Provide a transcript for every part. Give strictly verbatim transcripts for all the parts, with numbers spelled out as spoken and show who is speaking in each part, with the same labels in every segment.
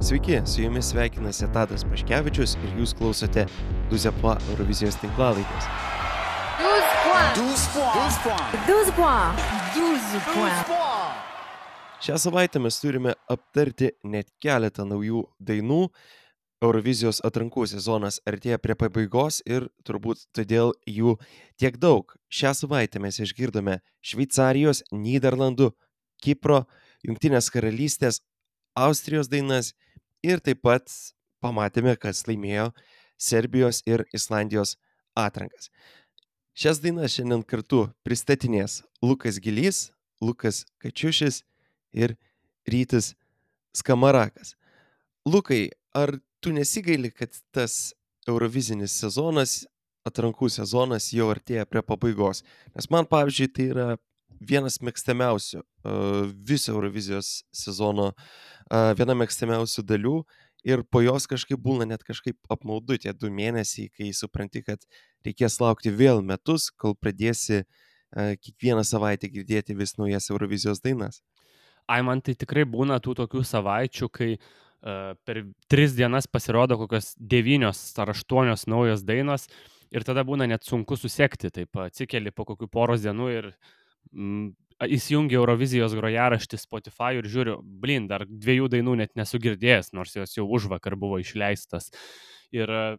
Speaker 1: Sveiki, su jumis sveikinasi Tadas Paškevičius ir jūs klausote douze points Eurovizijos tinklalaidės.
Speaker 2: douze points.
Speaker 3: douze points. douze points.
Speaker 1: Šią savaitę mes turime aptarti net keletą naujų dainų. Eurovizijos atrankų sezonas artėja prie pabaigos ir turbūt todėl jų tiek daug. Šią savaitę mes išgirdome Šveicarijos, Nyderlandų, Kipro, Jungtinės karalystės, Austrijos dainas ir taip pat pamatėme, kas laimėjo Serbijos ir Islandijos atrankas. Šias dainas šiandien kartu pristatinės Lukas Gilys, Lukas Kačiušis ir Rytis Skamarakas. Lukai, ar tu nesigaili, kad tas eurovizinis sezonas, atrankų sezonas jau artėja prie pabaigos? Nes man, pavyzdžiui, tai yra vienas mėgstamiausių uh, viso Eurovizijos sezono, uh, viena mėgstamiausių dalių ir po jos kažkaip būna net kažkaip apmaudu tie du mėnesiai, kai supranti, kad reikės laukti vėl metus, kol pradėsi uh, kiekvieną savaitę girdėti vis naujas Eurovizijos dainas.
Speaker 4: Ai, man tai tikrai būna tų tokių savaičių, kai uh, per tris dienas pasirodo kokios devynios ar aštuonios naujos dainos ir tada būna net sunku susekti, taip atsikeli po kokių poros dienų ir mm, įsijungi Eurovizijos grojaraštį Spotify ir žiūriu, blin, dar dviejų dainų net nesu girdėjęs, nors jos jau užvakar buvo išleistas. Ir uh,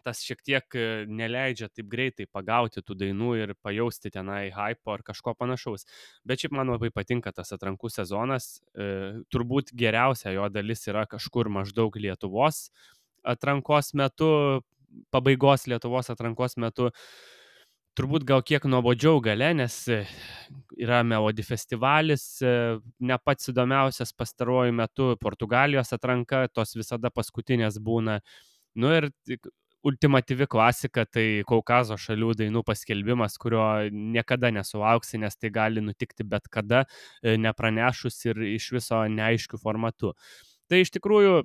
Speaker 4: tas šiek tiek neleidžia taip greitai pagauti tų dainų ir pajausti tenai hypo ar kažko panašaus. Bet šiaip man labai patinka tas atrankų sezonas. E, turbūt geriausia jo dalis yra kažkur maždaug Lietuvos atrankos metu, pabaigos Lietuvos atrankos metu. Turbūt gal kiek nuobodžiau gale, nes yra Melody festivalis, ne pats įdomiausias pastaruoju metu, Portugalijos atranka, tos visada paskutinės būna. Nu ir ultimatyvi klasika, tai Kaukazo šalių dainų paskelbimas, kurio niekada nesulauksi, nes tai gali nutikti bet kada, nepranešus ir iš viso neaiškių formatų. Tai iš tikrųjų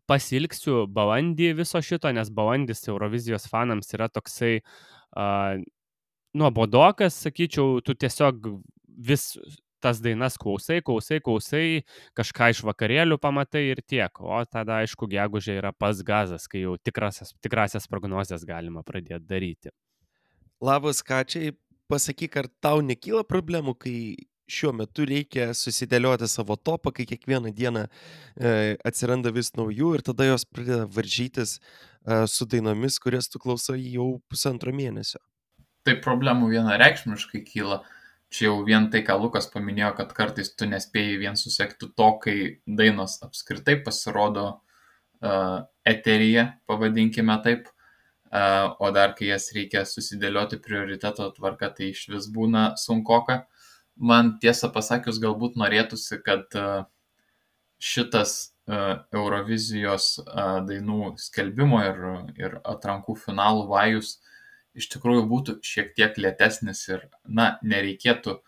Speaker 4: pasilgsiu balandį viso šito, nes balandis Eurovizijos fanams yra toksai uh, nuobodokas, sakyčiau, tu tiesiog vis tas dainas klausai, klausai, klausai, kažką iš vakarėlių pamatai ir tiek. O tada, aišku, gegužė yra pas gazas, kai jau tikrasias, tikrasias prognozes galima pradėti daryti.
Speaker 1: Labas, Kačiai, pasakyk, ar tau nekyla problemų, kai šiuo metu reikia susidėlioti savo topą, kai kiekvieną dieną e, atsiranda vis naujų ir tada jos pradeda varžytis e, su dainomis, kurias tu klausai jau pusantro mėnesio?
Speaker 2: Tai problemų vienareikšmiškai kyla. Čia jau vien tai, ką Lukas paminėjo, kad kartais tu nespėjai vien susekti to, kai dainos apskritai pasirodo uh, eteryje, pavadinkime taip, uh, o dar kai jas reikia susidėlioti prioriteto tvarka, tai iš vis būna sunkoka. Man tiesą pasakius, galbūt norėtųsi, kad uh, šitas uh, Eurovizijos uh, dainų skelbimo ir, ir atrankų finalų vajus iš tikrųjų būtų šiek tiek lėtesnis ir, na, nereikėtų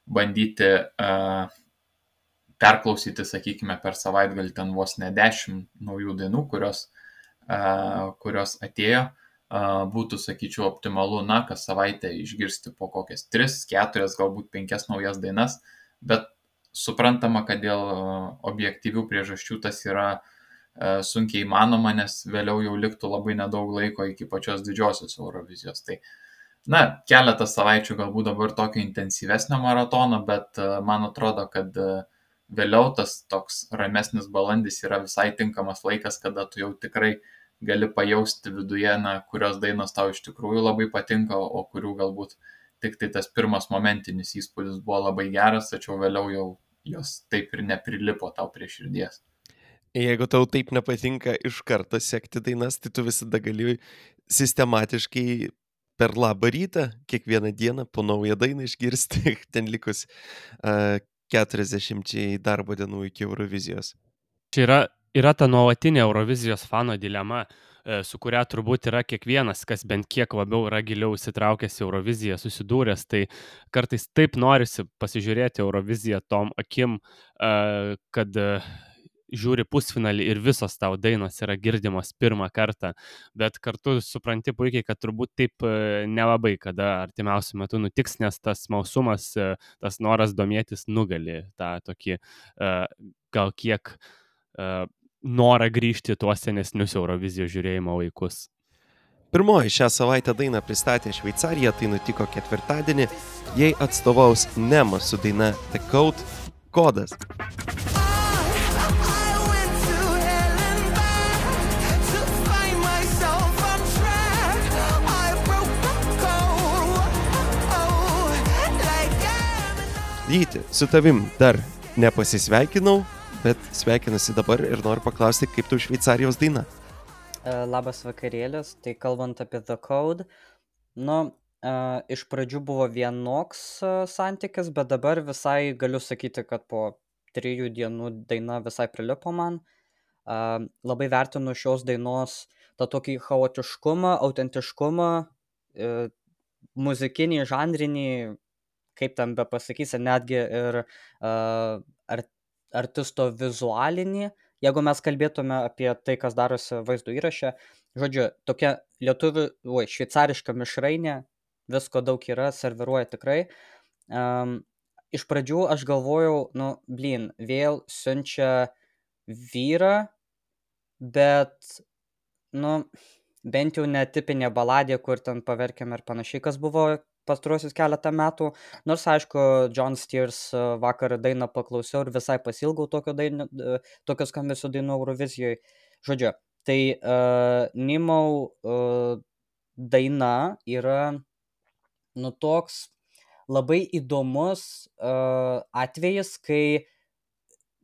Speaker 2: bandyti uh, perklausyti, sakykime, per savaitgalį ten vos ne dešimt naujų dainų, kurios, uh, kurios atėjo. Uh, būtų, sakyčiau, optimalu, na, kas savaitę išgirsti po kokias tris, keturias, galbūt penkias naujas dainas, bet suprantama, kad dėl uh, objektyvių priežasčių tas yra sunkiai įmanoma, nes vėliau jau liktų labai nedaug laiko iki pačios didžiosios Eurovizijos. Tai, na, keletas savaičių galbūt dabar tokio intensyvesnio maratono, bet man atrodo, kad vėliau tas toks ramesnis balandis yra visai tinkamas laikas, kada tu jau tikrai gali pajausti viduje, na, kurios dainos tau iš tikrųjų labai patinka, o kurių galbūt tik tai tas pirmas momentinis įspūdis buvo labai geras, tačiau vėliau jau jos taip ir neprilipo tau prie širdies.
Speaker 1: Jeigu tau taip nepatinka iš karto sekti dainas, tai tu visada gali sistematiškai per labą rytą kiekvieną dieną po naują dainą išgirsti, ten likus uh, keturiasdešimčiai darbo dienų iki Eurovizijos.
Speaker 4: Čia yra, yra ta nuolatinė Eurovizijos fano dilema, su kuria turbūt yra kiekvienas, kas bent kiek labiau yra giliau įsitraukęs į Euroviziją, susidūręs, tai kartais taip norisi pasižiūrėti Euroviziją tom akim, kad žiūri pusfinalį ir visos tau dainos yra girdimos pirmą kartą, bet kartu supranti puikiai, kad turbūt taip nelabai kada artimiausiu metu nutiks, nes tas smalsumas, tas noras domėtis nugali tą tokį gal kiek norą grįžti į tuos senesnius Eurovizijos žiūrėjimo laikus.
Speaker 1: Pirmoji šią savaitę dainą pristatė Šveicarija, tai nutiko ketvirtadienį. Jai atstovaus Nema su daina The Code – Kodas. Gyti, su tavim dar nepasisveikinau, bet sveikinusi dabar ir noriu paklausti, kaip tu Šveicarijos daina.
Speaker 5: Labas vakarėlis, tai kalbant apie The Code, nu, uh, iš pradžių buvo vienoks uh, santykis, bet dabar visai galiu sakyti, kad po trijų dienų daina visai prilipo man. Uh, labai vertinu šios dainos tą tokį chaotiškumą, autentiškumą, uh, muzikinį, žanrinį, kaip tam be pasakysi, netgi ir uh, art, artisto vizualinį. Jeigu mes kalbėtume apie tai, kas darosi vaizdo įraše, žodžiu, tokia lietuvių, oi, šveicariška mišrainė, visko daug yra, serviruoja tikrai. Um, iš pradžių aš galvojau, nu, blin, vėl siunčia vyrą, bet, nu, bent jau netipinė baladė, kur ten paverkiam ir panašiai, kas buvo pastaruosius keletą metų, nors aišku, John Steers vakar dainą paklausiau ir visai pasilgau tokio, daino, tokio skambesio dainų Eurovizijoje. Žodžiu, tai uh, Nimau uh, daina yra, nu, toks labai įdomus uh, atvejis, kai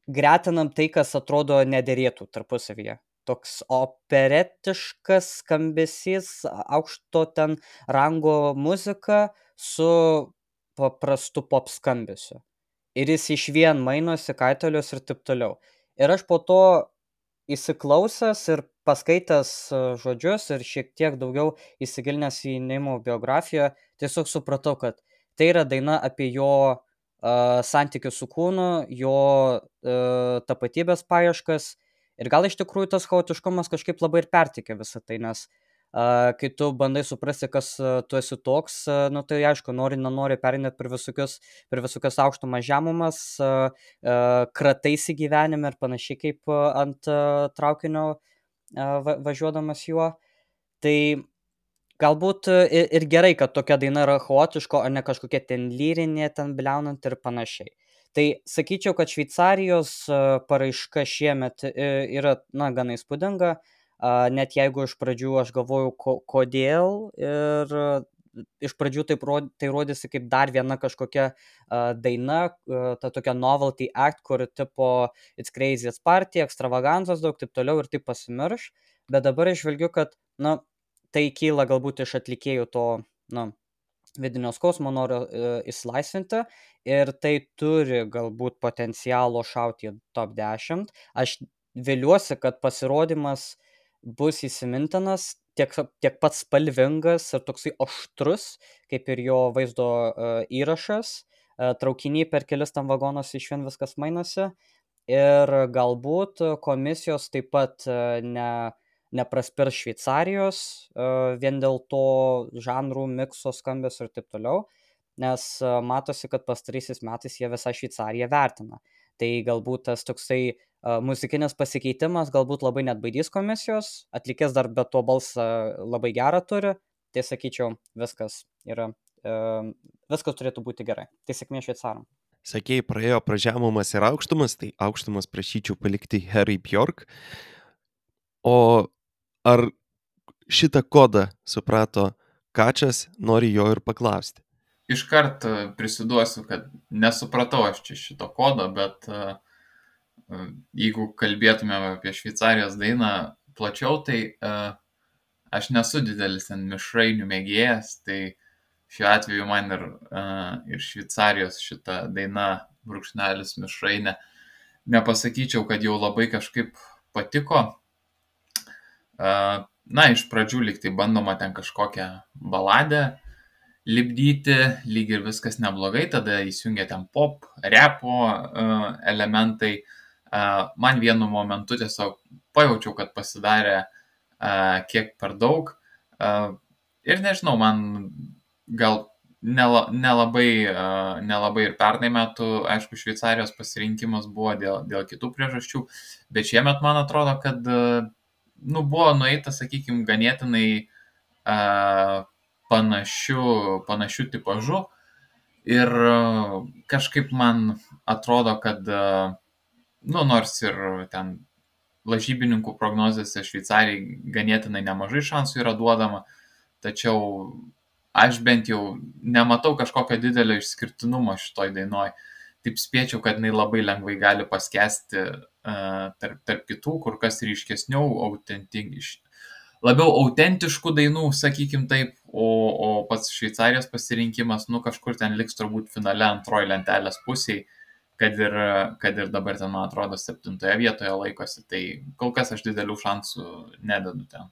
Speaker 5: gretinam tai, kas atrodo nederėtų tarpusavyje. Toks operetiškas skambesys, aukšto ten rango muzika su paprastu pop skambesiu. Ir jis iš vien mainosi kaitalius ir taip toliau. Ir aš po to įsiklausęs ir paskaitęs žodžius ir šiek tiek daugiau įsigilinęs į Nimo biografiją, tiesiog supratau, kad tai yra daina apie jo uh, santykių su kūnu, jo uh, tapatybės paieškas. Ir gal iš tikrųjų tas chaotiškumas kažkaip labai ir pertikė visą tai, nes uh, kai tu bandai suprasti, kas uh, tu esi toks, uh, nu tai aišku, nori, nenori perinėt per visokius, per visokius aukštumas žemumas, uh, uh, krataisi gyvenime ir panašiai kaip uh, ant uh, traukinio uh, va- važiuodamas juo. Tai galbūt uh, ir, ir gerai, kad tokia daina yra chaotiška, o ne kažkokia ten lyrinė, ten bliaunant ir panašiai. Tai sakyčiau, kad Šveicarijos paraiška šiemet yra, na, gana įspūdinga, net jeigu iš pradžių aš galvojau, ko, kodėl, ir iš pradžių tai, tai rodėsi kaip dar viena kažkokia daina, ta tokia novelty act, kur tipo it's crazy, it's party, ekstravaganzas daug, taip toliau ir taip pasimirš, bet dabar išvelgiu, kad, na, tai kyla galbūt iš atlikėjų to, na, vidinio skausmo noriu e, įsilaisvinti ir tai turi galbūt potencialo šauti į top dešimt. Aš viliuosi, kad pasirodymas bus įsimintinas, tiek, tiek pats spalvingas ir toksai aštrus, kaip ir jo vaizdo e, įrašas. E, traukiniai per kelis tam vagonos iš vien viskas mainosi. Ir galbūt komisijos taip pat e, ne... nepraspirs Šveicarijos, uh, vien dėl to žanrų, mikso, skambės ir taip toliau, nes uh, matosi, kad pastaraisiais metais jie visą Šveicariją vertina. Tai galbūt tas toksai uh, muzikinis pasikeitimas galbūt labai net baidys komisijos, atlikės dar be to balsą labai gerą turi, tai sakyčiau, viskas yra, uh, viskas turėtų būti gerai. Tai sėkmė Šveicaram.
Speaker 1: Sakei, praėjo pražemumas ir aukštumas, tai aukštumas prašyčiau palikti Herai Bjork. O ar šitą kodą suprato Kačas, nori jo ir paklausti?
Speaker 2: Iškart prisiduosiu, kad nesupratau aš čia šito kodo, bet uh, jeigu kalbėtumėm apie Šveicarijos dainą plačiau, tai uh, aš nesu didelis ten mišrainių mėgėjas, tai šiuo atveju man ir, uh, ir Šveicarijos šita daina brūkšnelis mišrainė nepasakyčiau, kad jau labai kažkaip patiko. Na, iš pradžių lyg tai bandoma ten kažkokią baladę lipdyti, lyg ir viskas neblogai, tada įsijungia ten pop, repo uh, elementai. Uh, man vienu momentu tiesiog pajaučiau, kad pasidarė uh, kiek per daug. Uh, ir nežinau, man gal nela, nelabai, uh, nelabai ir pernai metų, aišku, Šveicarijos pasirinkimas buvo dėl, dėl kitų priežasčių, bet šiemet man atrodo, kad uh, nu, buvo nueita, sakykime, ganėtinai uh, panašių, panašių tipažų ir uh, kažkaip man atrodo, kad uh, nu, nors ir ten lažybininkų prognozėse Šveicarijai ganėtinai nemažai šansų yra duodama, tačiau aš bent jau nematau kažkokio didelio išskirtinumo šitoj dainoj. Taip spėčiau, kad jinai labai lengvai gali paskesti uh, tarp, tarp kitų, kur kas ryškesnių, autentiš, labiau autentiškų dainų, sakykim taip, o, o pats Šveicarijos pasirinkimas, nu kažkur ten liks turbūt finale antroji lentelės pusėje, kad ir, kad ir dabar ten, man atrodo, septintoje vietoje laikosi, tai kol kas aš didelių šansų nededu ten.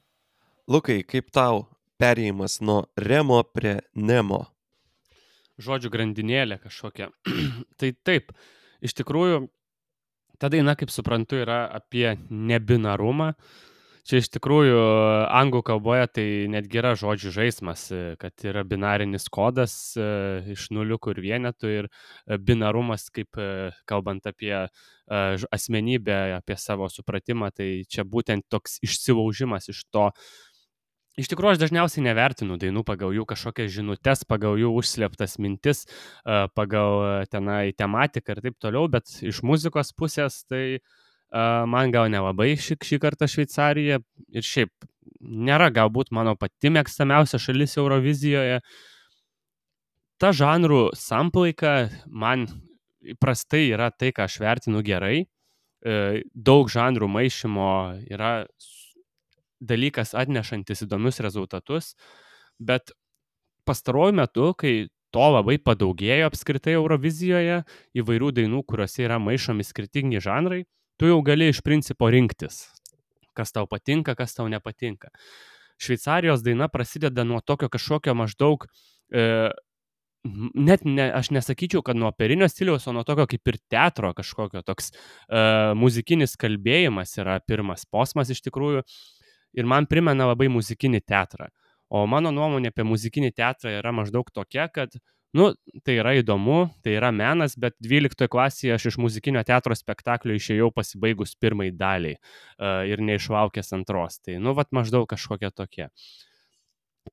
Speaker 1: Lukai, kaip tau perėjimas nuo Remo prie Nemo?
Speaker 4: Žodžių grandinėlė kažkokia. Tai taip, iš tikrųjų, ta daina, kaip suprantu, yra apie nebinarumą. Čia iš tikrųjų anglų kalboje tai netgi yra žodžių žaismas, kad yra binarinis kodas iš nuliukų ir vienetų ir binarumas, kaip kalbant apie asmenybę, apie savo supratimą, tai čia būtent toks išsilaužimas iš to. Iš tikrųjų, aš dažniausiai nevertinu dainų pagal jų kažkokias žinutes, pagal jų užslėptas mintis, pagal tenai tematiką ir taip toliau, bet iš muzikos pusės tai man gal nelabai šį, šį kartą Šveicarija ir šiaip nėra galbūt mano pati mėgstamiausia šalis Eurovizijoje. Ta žanrų samplaika man įprastai yra tai, ką aš vertinu gerai. Daug žanrų maišymo yra dalykas atnešantis įdomius rezultatus, bet pastaruoju metu, kai to labai padaugėjo apskritai Eurovizijoje, įvairių dainų, kuriuose yra maišomi skirtingi žanrai, tu jau gali iš principo rinktis, kas tau patinka, kas tau nepatinka. Šveicarijos daina prasideda nuo tokio kažkokio maždaug, e, net ne, aš nesakyčiau, kad nuo operinio stiliaus, o nuo tokio kaip ir teatro kažkokio, toks e, muzikinis kalbėjimas yra pirmas posmas iš tikrųjų ir man primena labai muzikinį teatrą. O mano nuomonė apie muzikinį teatrą yra maždaug tokia, kad nu, tai yra įdomu, tai yra menas, bet dvyliktoje klasėje aš iš muzikinio teatro spektaklio išėjau pasibaigus pirmai daliai uh, ir neišlaukęs antros. Tai, nu, vat maždaug kažkokia tokia.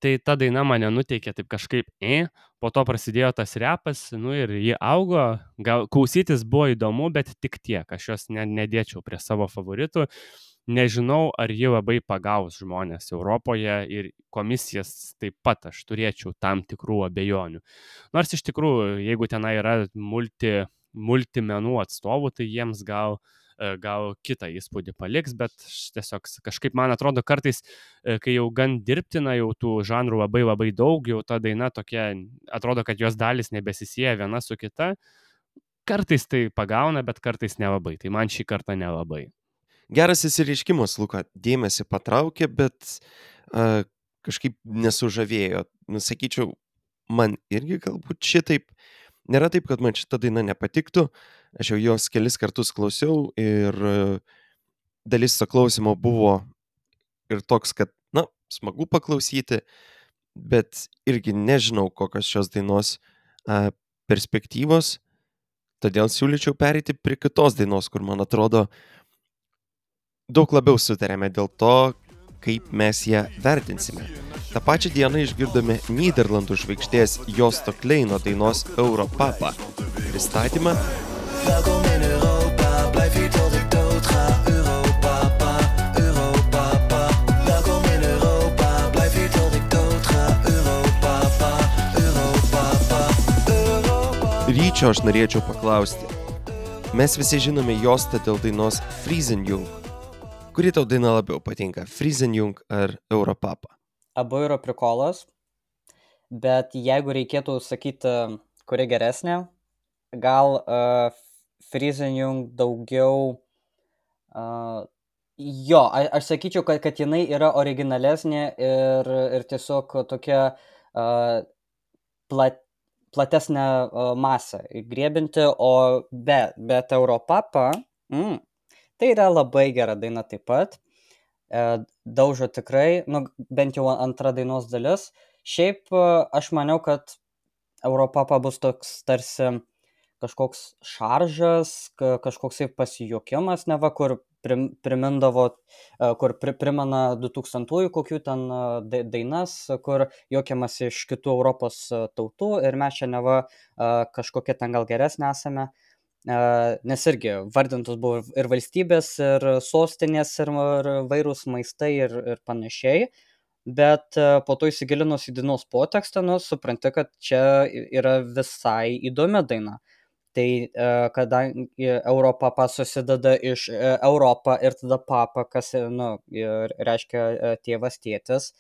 Speaker 4: Tai ta daina mane nuteikė taip kažkaip, e, po to prasidėjo tas repas, nu ir ji augo, gal klausytis buvo įdomu, bet tik tiek, aš jos ne, nedėčiau prie savo favoritų. Nežinau, ar ji labai pagaus žmonės Europoje ir komisijas taip pat aš turėčiau tam tikrų abejonių. Nors iš tikrųjų, jeigu tenai yra multi, multimenų atstovų, tai jiems gal, gal kitą įspūdį paliks, bet tiesiog kažkaip man atrodo kartais, kai jau gan dirbtina, jau tų žanrų labai labai daug, jau ta daina tokia, atrodo, kad jos dalis nebesisieja viena su kita, kartais tai pagauna, bet kartais nelabai, tai man šį kartą nelabai.
Speaker 1: Geras įsireiškimas, Luka, dėmesį patraukė, bet uh, kažkaip nesužavėjo. Nusakyčiau, man irgi galbūt šitaip. Nėra taip, kad man šita daina nepatiktų. Aš jau jos kelis kartus klausiau ir uh, dalis to klausimo buvo ir toks, kad, na, smagu paklausyti, bet irgi nežinau, kokios šios dainos uh, perspektyvos. Todėl siūlyčiau pereiti prie kitos dainos, kur, man atrodo, daug labiau sutarėme dėl to, kaip mes ją vertinsime. Ta pačią dieną išgirdome Nyderlandų žvaigždės Josto Kleino dainos Europapa pristatymą. Welkom in Europa, blijf hier tot ik dood ga. Europapa, Europapa. Welkom in Europa, blijf hier tot ik dood ga. Europapa, Europapa, Europapa. Ryčio aš norėčiau paklausti. Mes visi žinome Jostą dėl dainos Friesenjung. Kuri tau daina labiau patinka, Friesenjung ar Europapa?
Speaker 5: Abu yra prikolas, bet jeigu reikėtų sakyti, kuri geresnė, gal uh, Friesenjung daugiau, uh, jo, a, aš sakyčiau, kad, kad jinai yra originalesnė ir, ir tiesiog tokia uh, plat, platesnė uh, masę įgriebinti, o be, bet Europapa, mm, tai yra labai gera daina taip pat, e, daužo tikrai, nu, bent jau antra dainos dalis. Šiaip aš maniau, kad Europapa bus toks tarsi kažkoks šaržas, ka- kažkoksai pasijuokimas, neva, kur prim, primindavo, e, kur pri, primena du tūkstantųjų kokių ten e, dai- dainas, kur juokiamasi iš kitų Europos e, tautų ir mes čia neva e, kažkokie ten gal geresnė esame. E, Nes irgi vardintos buvo ir valstybės, ir sostinės, ir ir vairūs maistai ir, ir panašiai. Bet e, po to įsigilinus į dainos potekstą, nu, supranti, kad čia yra visai įdomi daina. Tai e, kadangi Europapa susideda iš e, Europa ir tada papa, kas e, nu, ir reiškia e, tėvas, tėtis,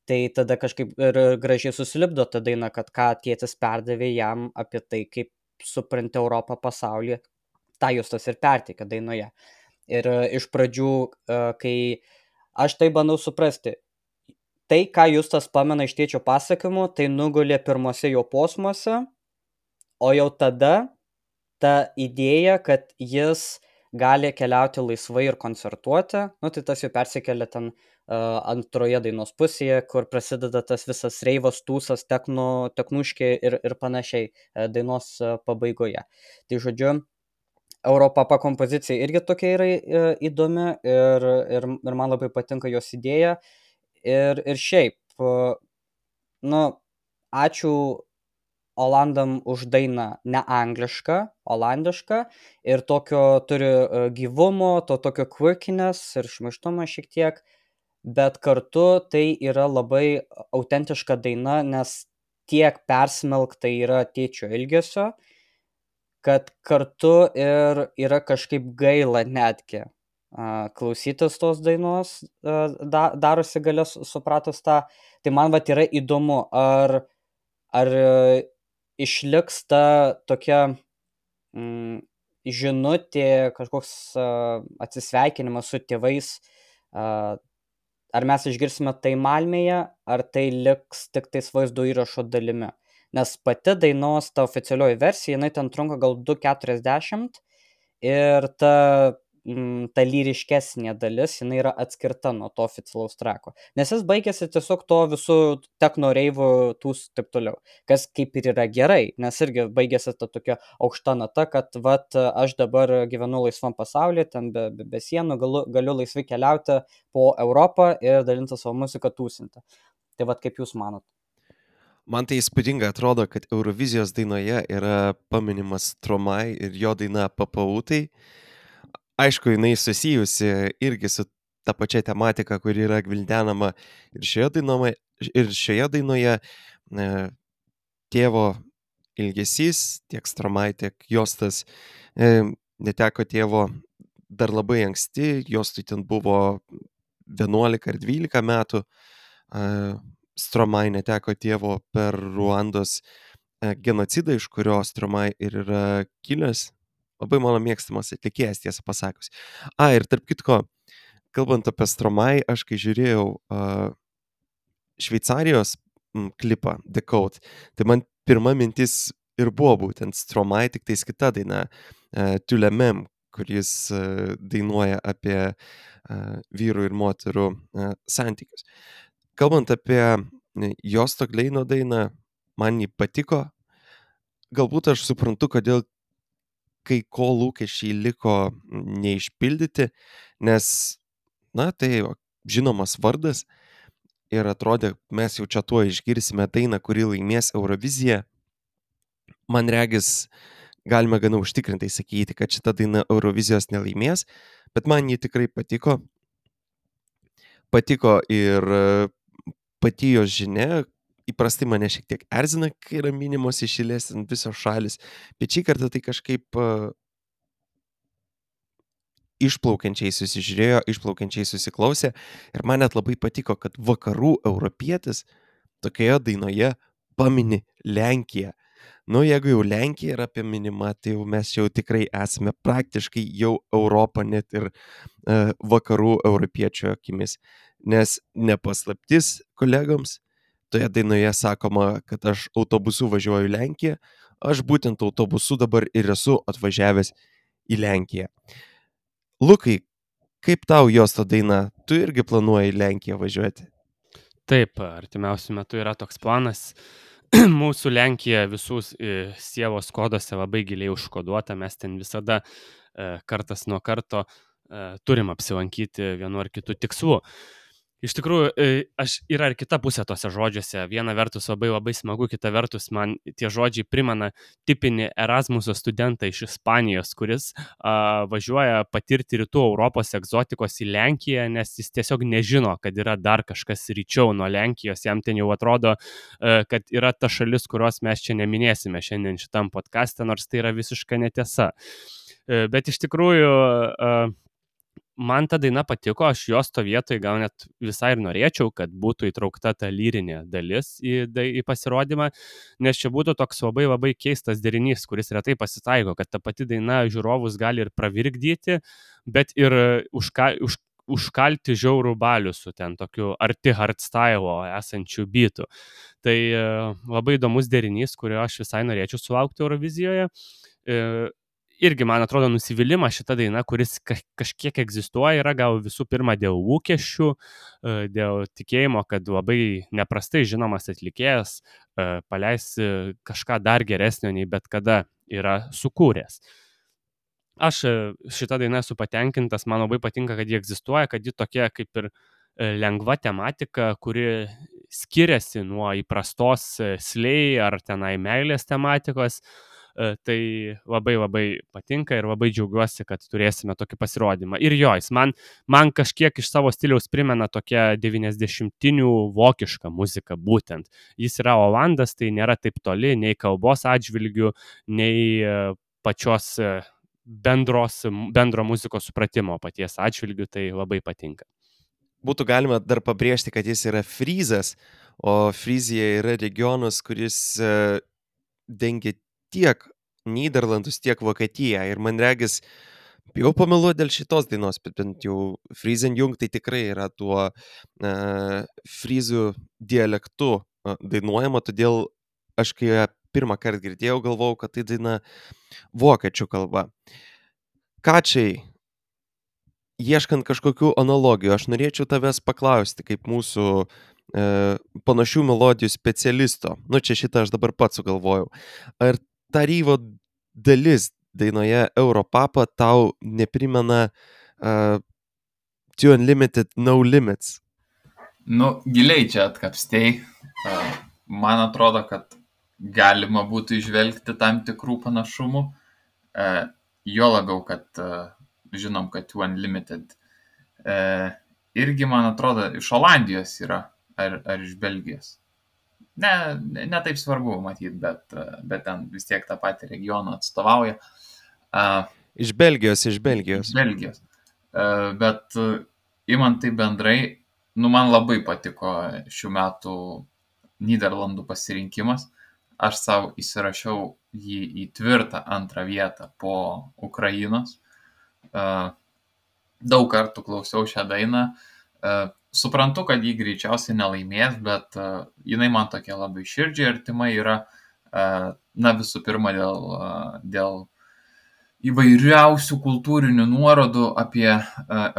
Speaker 5: tai tada kažkaip ir gražiai susilipdo ta daina, kad ką tėtis perdavė jam apie tai, kaip supranti Europą, pasaulį, tą Justas ir perteikia dainoje. Ir e, iš pradžių, e, kai aš tai bandau suprasti, tai, ką Justas pamena iš tėčio pasakymų, tai nugulė pirmose jo posmuose, o jau tada ta idėja, kad jis gali keliauti laisvai ir koncertuoti, nu, tai tas jau persikelia ten uh, antroje dainos pusėje, kur prasideda tas visas reivas, tūsas, teknu, teknuškė ir, ir panašiai uh, dainos uh, pabaigoje. Tai žodžiu, Europapa kompozicija irgi tokia yra uh, įdomi ir, ir, ir man labai patinka jos idėja. Ir, ir šiaip, uh, nu, ačiū Olandam už dainą ne anglišką, olandišką ir tokio turi e, gyvumo, to tokio quirkiness ir šmaištumo šiek tiek, bet kartu tai yra labai autentiška daina, nes tiek persmelkta yra tėčio ilgesio, kad kartu ir yra kažkaip gaila netgi a, klausytis tos dainos, a, da, darosi galės supratus tą. Tai man vat yra įdomu, ar, ar e, išliks ta tokia mm, žinutė, kažkoks uh, atsisveikinimas su tėvais, uh, ar mes išgirsime tai Malmėje, ar tai liks tik tais vaizdo įrašo dalimi. Nes pati dainos, ta oficialioji versija, jinai ten trunka gal du keturiasdešimt ir ta, mm, ta lyriškesnė dalis, jinai yra atskirta nuo to oficialaus trako. Nes jis baigėsi tiesiog to visų techno reivų tūs taip toliau. Kas kaip ir yra gerai, nes irgi baigėsi ta tokia aukšta nata, kad vat, aš dabar gyvenu laisvam pasaulyje, ten be, be, be sienų, galiu, galiu laisvai keliauti po Europą ir dalinti savo muziką, tūsinti. Tai vat kaip jūs manot?
Speaker 1: Man tai įspūdinga atrodo, kad Eurovizijos dainoje yra paminimas Stromae ir jo daina Papautai. Aišku, jinai susijusi irgi su ta pačia tematika, kuri yra gvildenama ir šioje dainoje, ir šioje dainoje e, tėvo ilgesys, tiek Stromae, tiek Jostas e, neteko tėvo dar labai anksti, Jostui ten buvo vienuolika ar dvylika metų, e, Stromae neteko tėvo per Ruandos e, genocidą, iš kurio Stromae ir yra kilęs. Labai mano mėgstamas atlikėjas, tiesą pasakius. A, ir tarp kitko, kalbant apie Stromae, aš kai žiūrėjau uh, Šveicarijos m, klipą The Code, tai man pirma mintis ir buvo būtent Stromae, tik tais kita daina, uh, Tu le même, kuris uh, dainuoja apie uh, vyrų ir moterų uh, santykius. Kalbant apie Josto Gleino dainą, man jį patiko. Galbūt aš suprantu, kodėl kai ko lūkesčiai liko neišpildyti, nes, na, tai žinomas vardas ir atrodė, mes jau čia tuo išgirsime dainą, kuri laimės Euroviziją. Man regis, galime gana užtikrintai sakyti, kad šita daina Eurovizijos nelaimės, bet man ji tikrai patiko. Patiko ir pati jos žinia, įprastai mane šiek tiek erzina, kai yra minimos iš eilės visos šalis, bet šį kartą tai kažkaip uh, išplaukiančiai susižiūrėjo, išplaukiančiai susiklausė ir man net labai patiko, kad vakarų europietis tokioje dainoje pamini Lenkiją. Nu, jeigu jau Lenkija yra apie minimą, tai jau mes jau tikrai esame praktiškai jau Europą net ir uh, vakarų europiečio akimis, nes nepaslaptis kolegoms, toje dainoje sakoma, kad aš autobusu važiuoju į Lenkiją, aš būtent autobusu dabar ir esu atvažiavęs į Lenkiją. Lukai, kaip tau Josto daina? Tu irgi planuoji į Lenkiją važiuoti?
Speaker 4: Taip, artimiausiu metu yra toks planas. mūsų Lenkija visus e, sievos koduose labai giliai užkoduota, mes ten visada e, kartas nuo karto e, turim apsilankyti vienu ar kitu tikslu. Iš tikrųjų, e, aš yra ir kita pusė tose žodžiuose. Viena vertus labai labai smagu, kita vertus man tie žodžiai primena tipinį Erasmuso studentą iš Ispanijos, kuris a, važiuoja patirti rytų Europos egzotikos į Lenkiją, nes jis tiesiog nežino, kad yra dar kažkas ryčiau nuo Lenkijos. Jam ten jau atrodo, e, kad yra ta šalis, kurios mes čia neminėsime šiandien šitam podcaste, nors tai yra visiška netiesa. E, bet iš tikrųjų... A, man ta daina patiko, aš jos to vietoj gal net visai ir norėčiau, kad būtų įtraukta ta lyrinė dalis į, į pasirodymą, nes čia būtų toks labai labai keistas derinys, kuris retai pasitaiko, kad ta pati daina žiūrovus gali ir pravirkdyti, bet ir užka, už, užkalti žiaurų balių su ten tokiu arti hardstyle esančių bitų. Tai labai įdomus derinys, kurio aš visai norėčiau sulaukti Eurovizijoje. Irgi, man atrodo, nusivylimas šita daina, kuris kažkiek egzistuoja, yra gal visų pirma dėl lūkesčių, dėl tikėjimo, kad labai neprastai žinomas atlikėjas paleis kažką dar geresnio nei bet kada yra sukūręs. Aš šitą dainą esu patenkintas, man labai patinka, kad ji egzistuoja, kad ji tokia kaip ir lengva tematika, kuri skiriasi nuo įprastos slay ar tenai meilės tematikos. Tai labai labai patinka ir labai džiaugiuosi, kad turėsime tokį pasirodymą. Ir jo, jis man, man kažkiek iš savo stiliaus primena tokią devyniasdešimtinių vokišką muziką būtent. Jis yra olandas, tai nėra taip toli nei kalbos atžvilgių, nei pačios bendros, bendro muzikos supratimo paties atžvilgių, tai labai patinka.
Speaker 1: Būtų galima dar pabrėžti, kad jis yra fryzas, o Fryzija yra regionas, kuris dengia tiek Nyderlandus, tiek Vokietiją. Ir man regis, jau pameluoju dėl šitos dainos, bet bent jau Friesenjung tai tikrai yra tuo uh, fryzų dialektu uh, dainuojama, todėl aš kai ją pirmą kartą girdėjau, galvojau, kad tai daina vokiečių kalba. Kačiai, ieškant kažkokių analogijų, aš norėčiau tavęs paklausti, kaip mūsų uh, panašių melodijų specialisto. Nu, čia šitą aš dabar pats sugalvojau. Ar ta ryvo dalis dainoje Europapa tau neprimena uh, Too Unlimited, No Limits?
Speaker 2: Nu, giliai čia atkapstei. Uh, man atrodo, kad galima būtų išvelgti tam tikrų panašumų. Uh, jo labiau, kad uh, žinom, kad Too Unlimited uh, irgi, man atrodo, iš Olandijos yra, ar, ar iš Belgijos. Ne, ne, ne taip svarbu matyti, bet, bet ten vis tiek tą patį regioną atstovauja. Uh,
Speaker 1: iš Belgijos, iš Belgijos.
Speaker 2: Iš Belgijos. Uh, bet uh, imant tai bendrai, nu man labai patiko šių metų Nyderlandų pasirinkimas. Aš savo įsirašiau jį į tvirtą antrą vietą po Ukrainos. Uh, daug kartų klausiau šią dainą. Uh, Suprantu, kad jį greičiausiai nelaimės, bet uh, jinai man tokia labai širdžiai artima yra, uh, na visų pirma, dėl, uh, dėl įvairiausių kultūrinių nuorodų apie uh,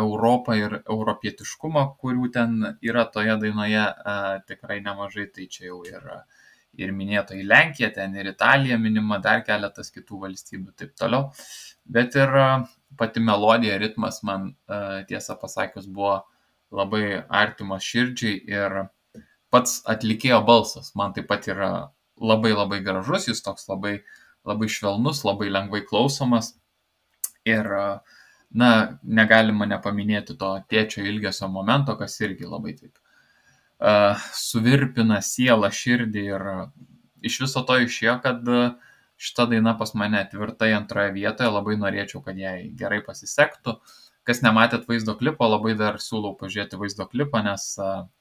Speaker 2: Europą ir europietiškumą, kurių ten yra toje dainoje uh, tikrai nemažai, tai čia jau ir, ir minėta į Lenkiją, ten ir Italija minima, dar keletas kitų valstybių, taip toliau. Bet ir uh, pati melodija, ritmas man uh, tiesą pasakius buvo labai artimas širdžiai ir pats atlikėjo balsas man taip pat yra labai labai gražus, jis toks labai, labai švelnus, labai lengvai klausomas ir, na, negalima nepaminėti to tėčio ilgesio momento, kas irgi labai taip uh, suvirpina sielą, širdį ir iš viso to išėjo, kad šita daina pas mane tvirtai antroje vietoje, labai norėčiau, kad jai gerai pasisektų. Kas nematėt vaizdo klipo, labai dar siūlau pažiūrėti vaizdo klipą, nes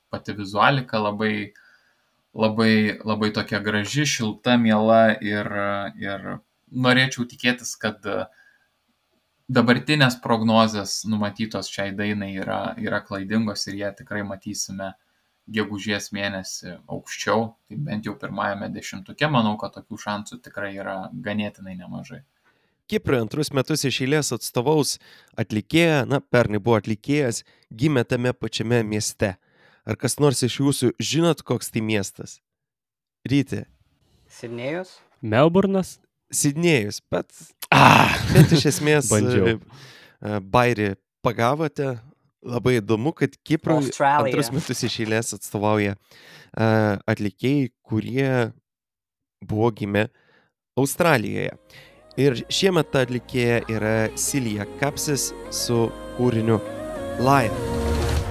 Speaker 2: pati vizualika labai, labai, labai tokia graži, šilta, miela ir, ir norėčiau tikėtis, kad dabartinės prognozės numatytos šiai dainai yra, yra klaidingos ir ją tikrai matysime gegužės mėnesį aukščiau. Tai bent jau pirmajame dešimtuke, manau, kad tokių šansų tikrai yra ganėtinai nemažai.
Speaker 1: Kiprui antrus metus iš eilės atstovaus atlikėja, na, pernai buvo atlikėjas, gimė tame pačiame mieste. Ar kas nors iš jūsų žinot, koks tai miestas? Ryti,
Speaker 5: Sidnėjus?
Speaker 4: Melburnas?
Speaker 1: Sidnėjus, bet,
Speaker 4: Ah,
Speaker 1: bet iš esmės
Speaker 4: bandžiau.
Speaker 1: e, e, bairį pagavote. Labai įdomu, kad Kiprui
Speaker 5: Australija.
Speaker 1: antrus metus iš eilės atstovauja e, atlikėjai, kurie buvo gimę Australijoje. Ir šiemet ta atlikėja yra Silija Kapsis su kūriniu Live.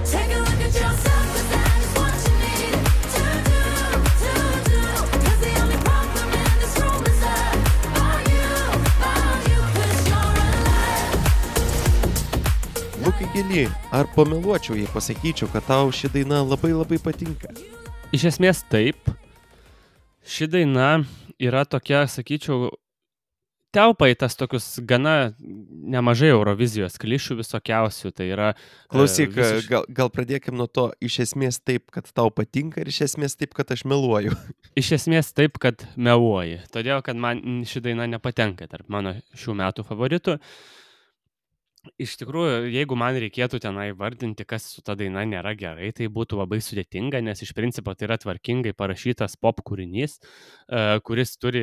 Speaker 3: Take a look at yourself, 'cause that is what you need to do, to do. 'Cause the only problem in this room is that about you, about you, 'cause you're alive.
Speaker 1: Lukai Gili, ar pameluočiau, jei pasakyčiau, kad tau ši daina labai labai patinka?
Speaker 4: Iš esmės taip. Ši daina yra tokia, sakyčiau, telpa į tas tokius gana nemažai Eurovizijos klišių visokiausių. Tai yra... e,
Speaker 1: Klausyk,
Speaker 4: visiš-
Speaker 1: gal, gal pradėkim nuo to, iš esmės taip, kad tau patinka ir iš esmės taip, kad aš meluoju.
Speaker 4: Iš esmės taip, kad meluoji. Todėl, kad man ši daina nepatenka tarp mano šių metų favoritų. Iš tikrųjų, jeigu man reikėtų tenai vardinti, kas su ta daina nėra gerai, tai būtų labai sudėtinga, nes iš principo tai yra tvarkingai parašytas pop kūrinys, e, kuris turi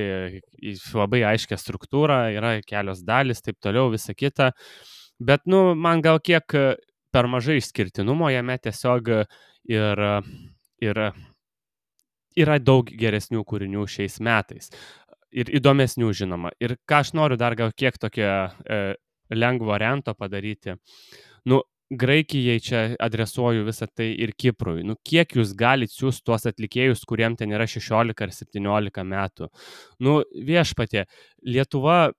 Speaker 4: į- labai aiškę struktūrą, yra kelios dalis, taip toliau, visa kita. Bet, nu, man gal kiek e, per mažai išskirtinumo jame tiesiog e, ir, e, ir e, yra daug geresnių kūrinių šiais metais. Ir įdomesnių, žinoma. Ir ką aš noriu dar gal kiek tokio e, lengvo rento padaryti. Nu, Graikijai čia adresuoju visą tai ir Kiprui. Nu, kiek jūs galite siūsti tuos atlikėjus, kuriem ten yra šešiolika ar septyniolika metų? Nu, viešpatie, Lietuva...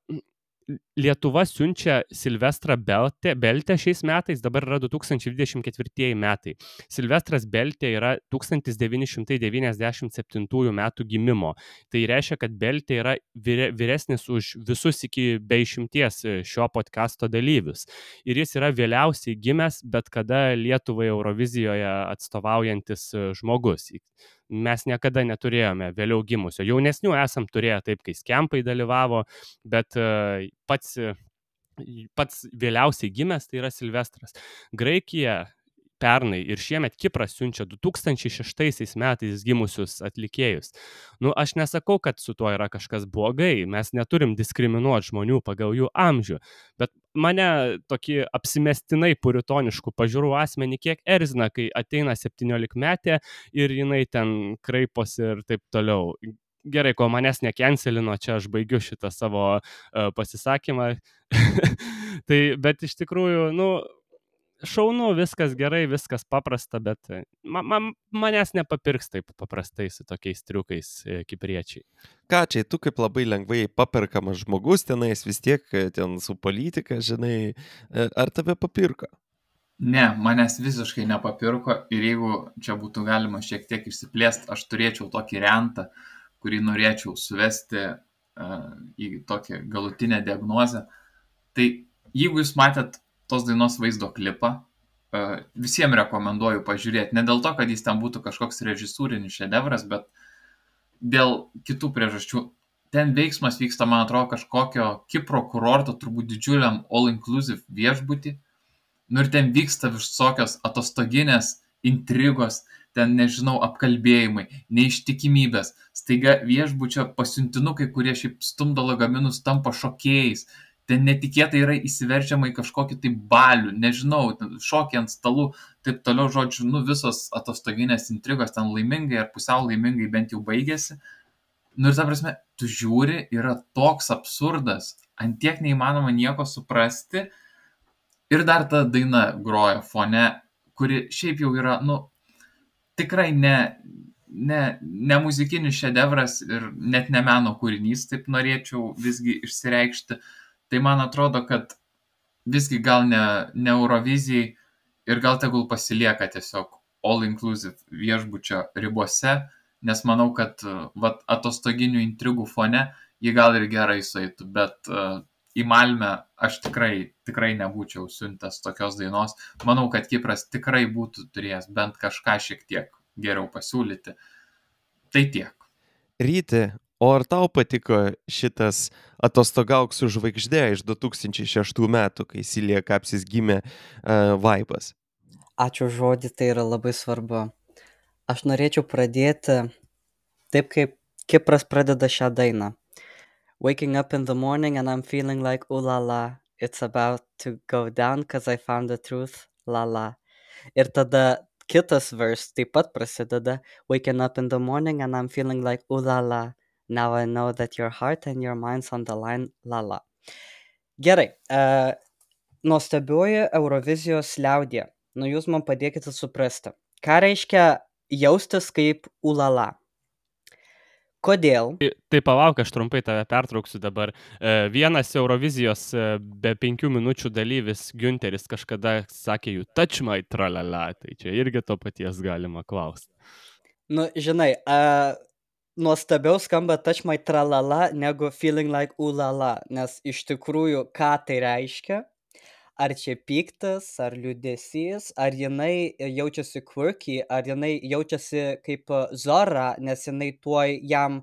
Speaker 4: Lietuva siunčia Silvestrą Beltę, Beltę šiais metais, dabar yra du tūkstančiai dvidešimt ketvirti metai. Silvestras Beltė yra tūkstantis devyni šimtai devyniasdešimt septintų metų gimimo. Tai reiškia, kad Beltė yra vyre, vyresnis už visus iki be išimties šio podcasto dalyvius. Ir jis yra vėliausiai gimęs, bet kada Lietuvai Eurovizijoje atstovaujantis e, žmogus. Mes niekada neturėjome vėliau gimusio. Jaunesnių esam turėję taip, kai skempai dalyvavo, bet e, pats, e, pats vėliausiai gimęs tai yra Silvestras. Graikija pernai ir šiemet Kipras siunčia du tūkstančiai šeštaisiais metais gimusius atlikėjus. Nu, aš nesakau, kad su tuo yra kažkas blogai, mes neturim diskriminuoti žmonių pagal jų amžių, bet mane tokį apsimestinai puritoniškų pažiūrų asmenį kiek erzina, kai ateina septyniolikmetė ir jinai ten kraiposi ir taip toliau. Gerai, kol manęs nekencelino, čia aš baigiu šitą savo uh, pasisakymą. Tai, bet iš tikrųjų, nu, šaunu, viskas gerai, viskas paprasta, bet ma, ma, manęs nepapirks taip paprastai su tokiais triukais e, kipriečiai.
Speaker 1: Ką čia, tu kaip labai lengvai paperkamas žmogus tenais, vis tiek e, ten su politika, žinai, e, ar tave papirko?
Speaker 2: Ne, manęs visiškai nepapirko ir jeigu čia būtų galima šiek tiek išsiplėsti, aš turėčiau tokį rentą, kurį norėčiau suvesti uh, į tokią galutinę diagnozę. Tai jeigu jūs matėt tos dainos vaizdo klipą, uh, visiems rekomenduoju pažiūrėti. Ne dėl to, kad jis ten būtų kažkoks režisūrinis šedevras, bet dėl kitų priežasčių. Ten veiksmas vyksta, man atrodo, kažkokio Kipro kurorto, turbūt didžiuliam all-inclusive viešbutį. Nu ir ten vyksta visokios atostoginės intrigos, ten, nežinau, apkalbėjimai, neištikimybės. Staiga viešbučio pasiuntinukai, kurie šiaip stumdo lagaminus, tampa šokėjais. Ten netikėtai yra įsiverčiama į kažkokį tai balių, nežinau, šokį ant stalų, taip toliau, žodžiu, nu visos atostoginės intrigos ten laimingai ar pusiau laimingai bent jau baigėsi. Nu ir ta prasme, tu žiūri, yra toks absurdas, ant tiek neįmanoma nieko suprasti. Ir dar ta daina groja fone, kuri šiaip jau yra, nu, tikrai ne, ne, ne muzikinis šedevras ir net ne meno kūrinys, taip norėčiau visgi išsireikšti. Tai man atrodo, kad visgi gal ne, ne Eurovizijai ir gal tegul pasilieka tiesiog all-inclusive viešbučio ribose, nes manau, kad vat, atostoginių intrigų fone jį gal ir gerai sueitų, bet uh, į Malmę aš tikrai, tikrai nebūčiau siuntęs tokios dainos. Manau, kad Kipras tikrai būtų turėjęs bent kažką šiek tiek geriau pasiūlyti. Tai tiek.
Speaker 1: Ryti, o ar tau patiko šitas Atostogauk su žvaigžde iš du tūkstančiai šeštų metų, kai Silija Kapsis gimė uh, vaibas?
Speaker 5: Ačiū žodį, tai yra labai svarbu. Aš norėčiau pradėti taip, kaip Kipras pradeda šią dainą. Waking up in the morning and I'm feeling like ooh la la. It's about to go down cause I found the truth. La la. Ir tada kitas verse taip pat prasideda. Waking up in the morning and I'm feeling like ooh la la. Now I know that your heart and your mind's on the line. La la. Gerai. Uh, nuostabioji Eurovizijos liaudė. Nu jūs man padėkite suprasti. Ką reiškia jaustis kaip ulala? Kodėl?
Speaker 4: Tai, tai palauk, aš trumpai tave pertrauksiu dabar. E, Vienas Eurovizijos e, be penkių minučių dalyvis Günteris kažkada sakė jų touch my tralala, tai čia irgi to paties galima klausti.
Speaker 5: Nu, žinai, uh, nuostabiau skamba touch my tralala negu feeling like ulala, nes iš tikrųjų, ką tai reiškia? Ar čia piktas, ar liūdesys, ar jinai jaučiasi quirky, ar jinai jaučiasi kaip uh, Zora, nes jinai tuoj jam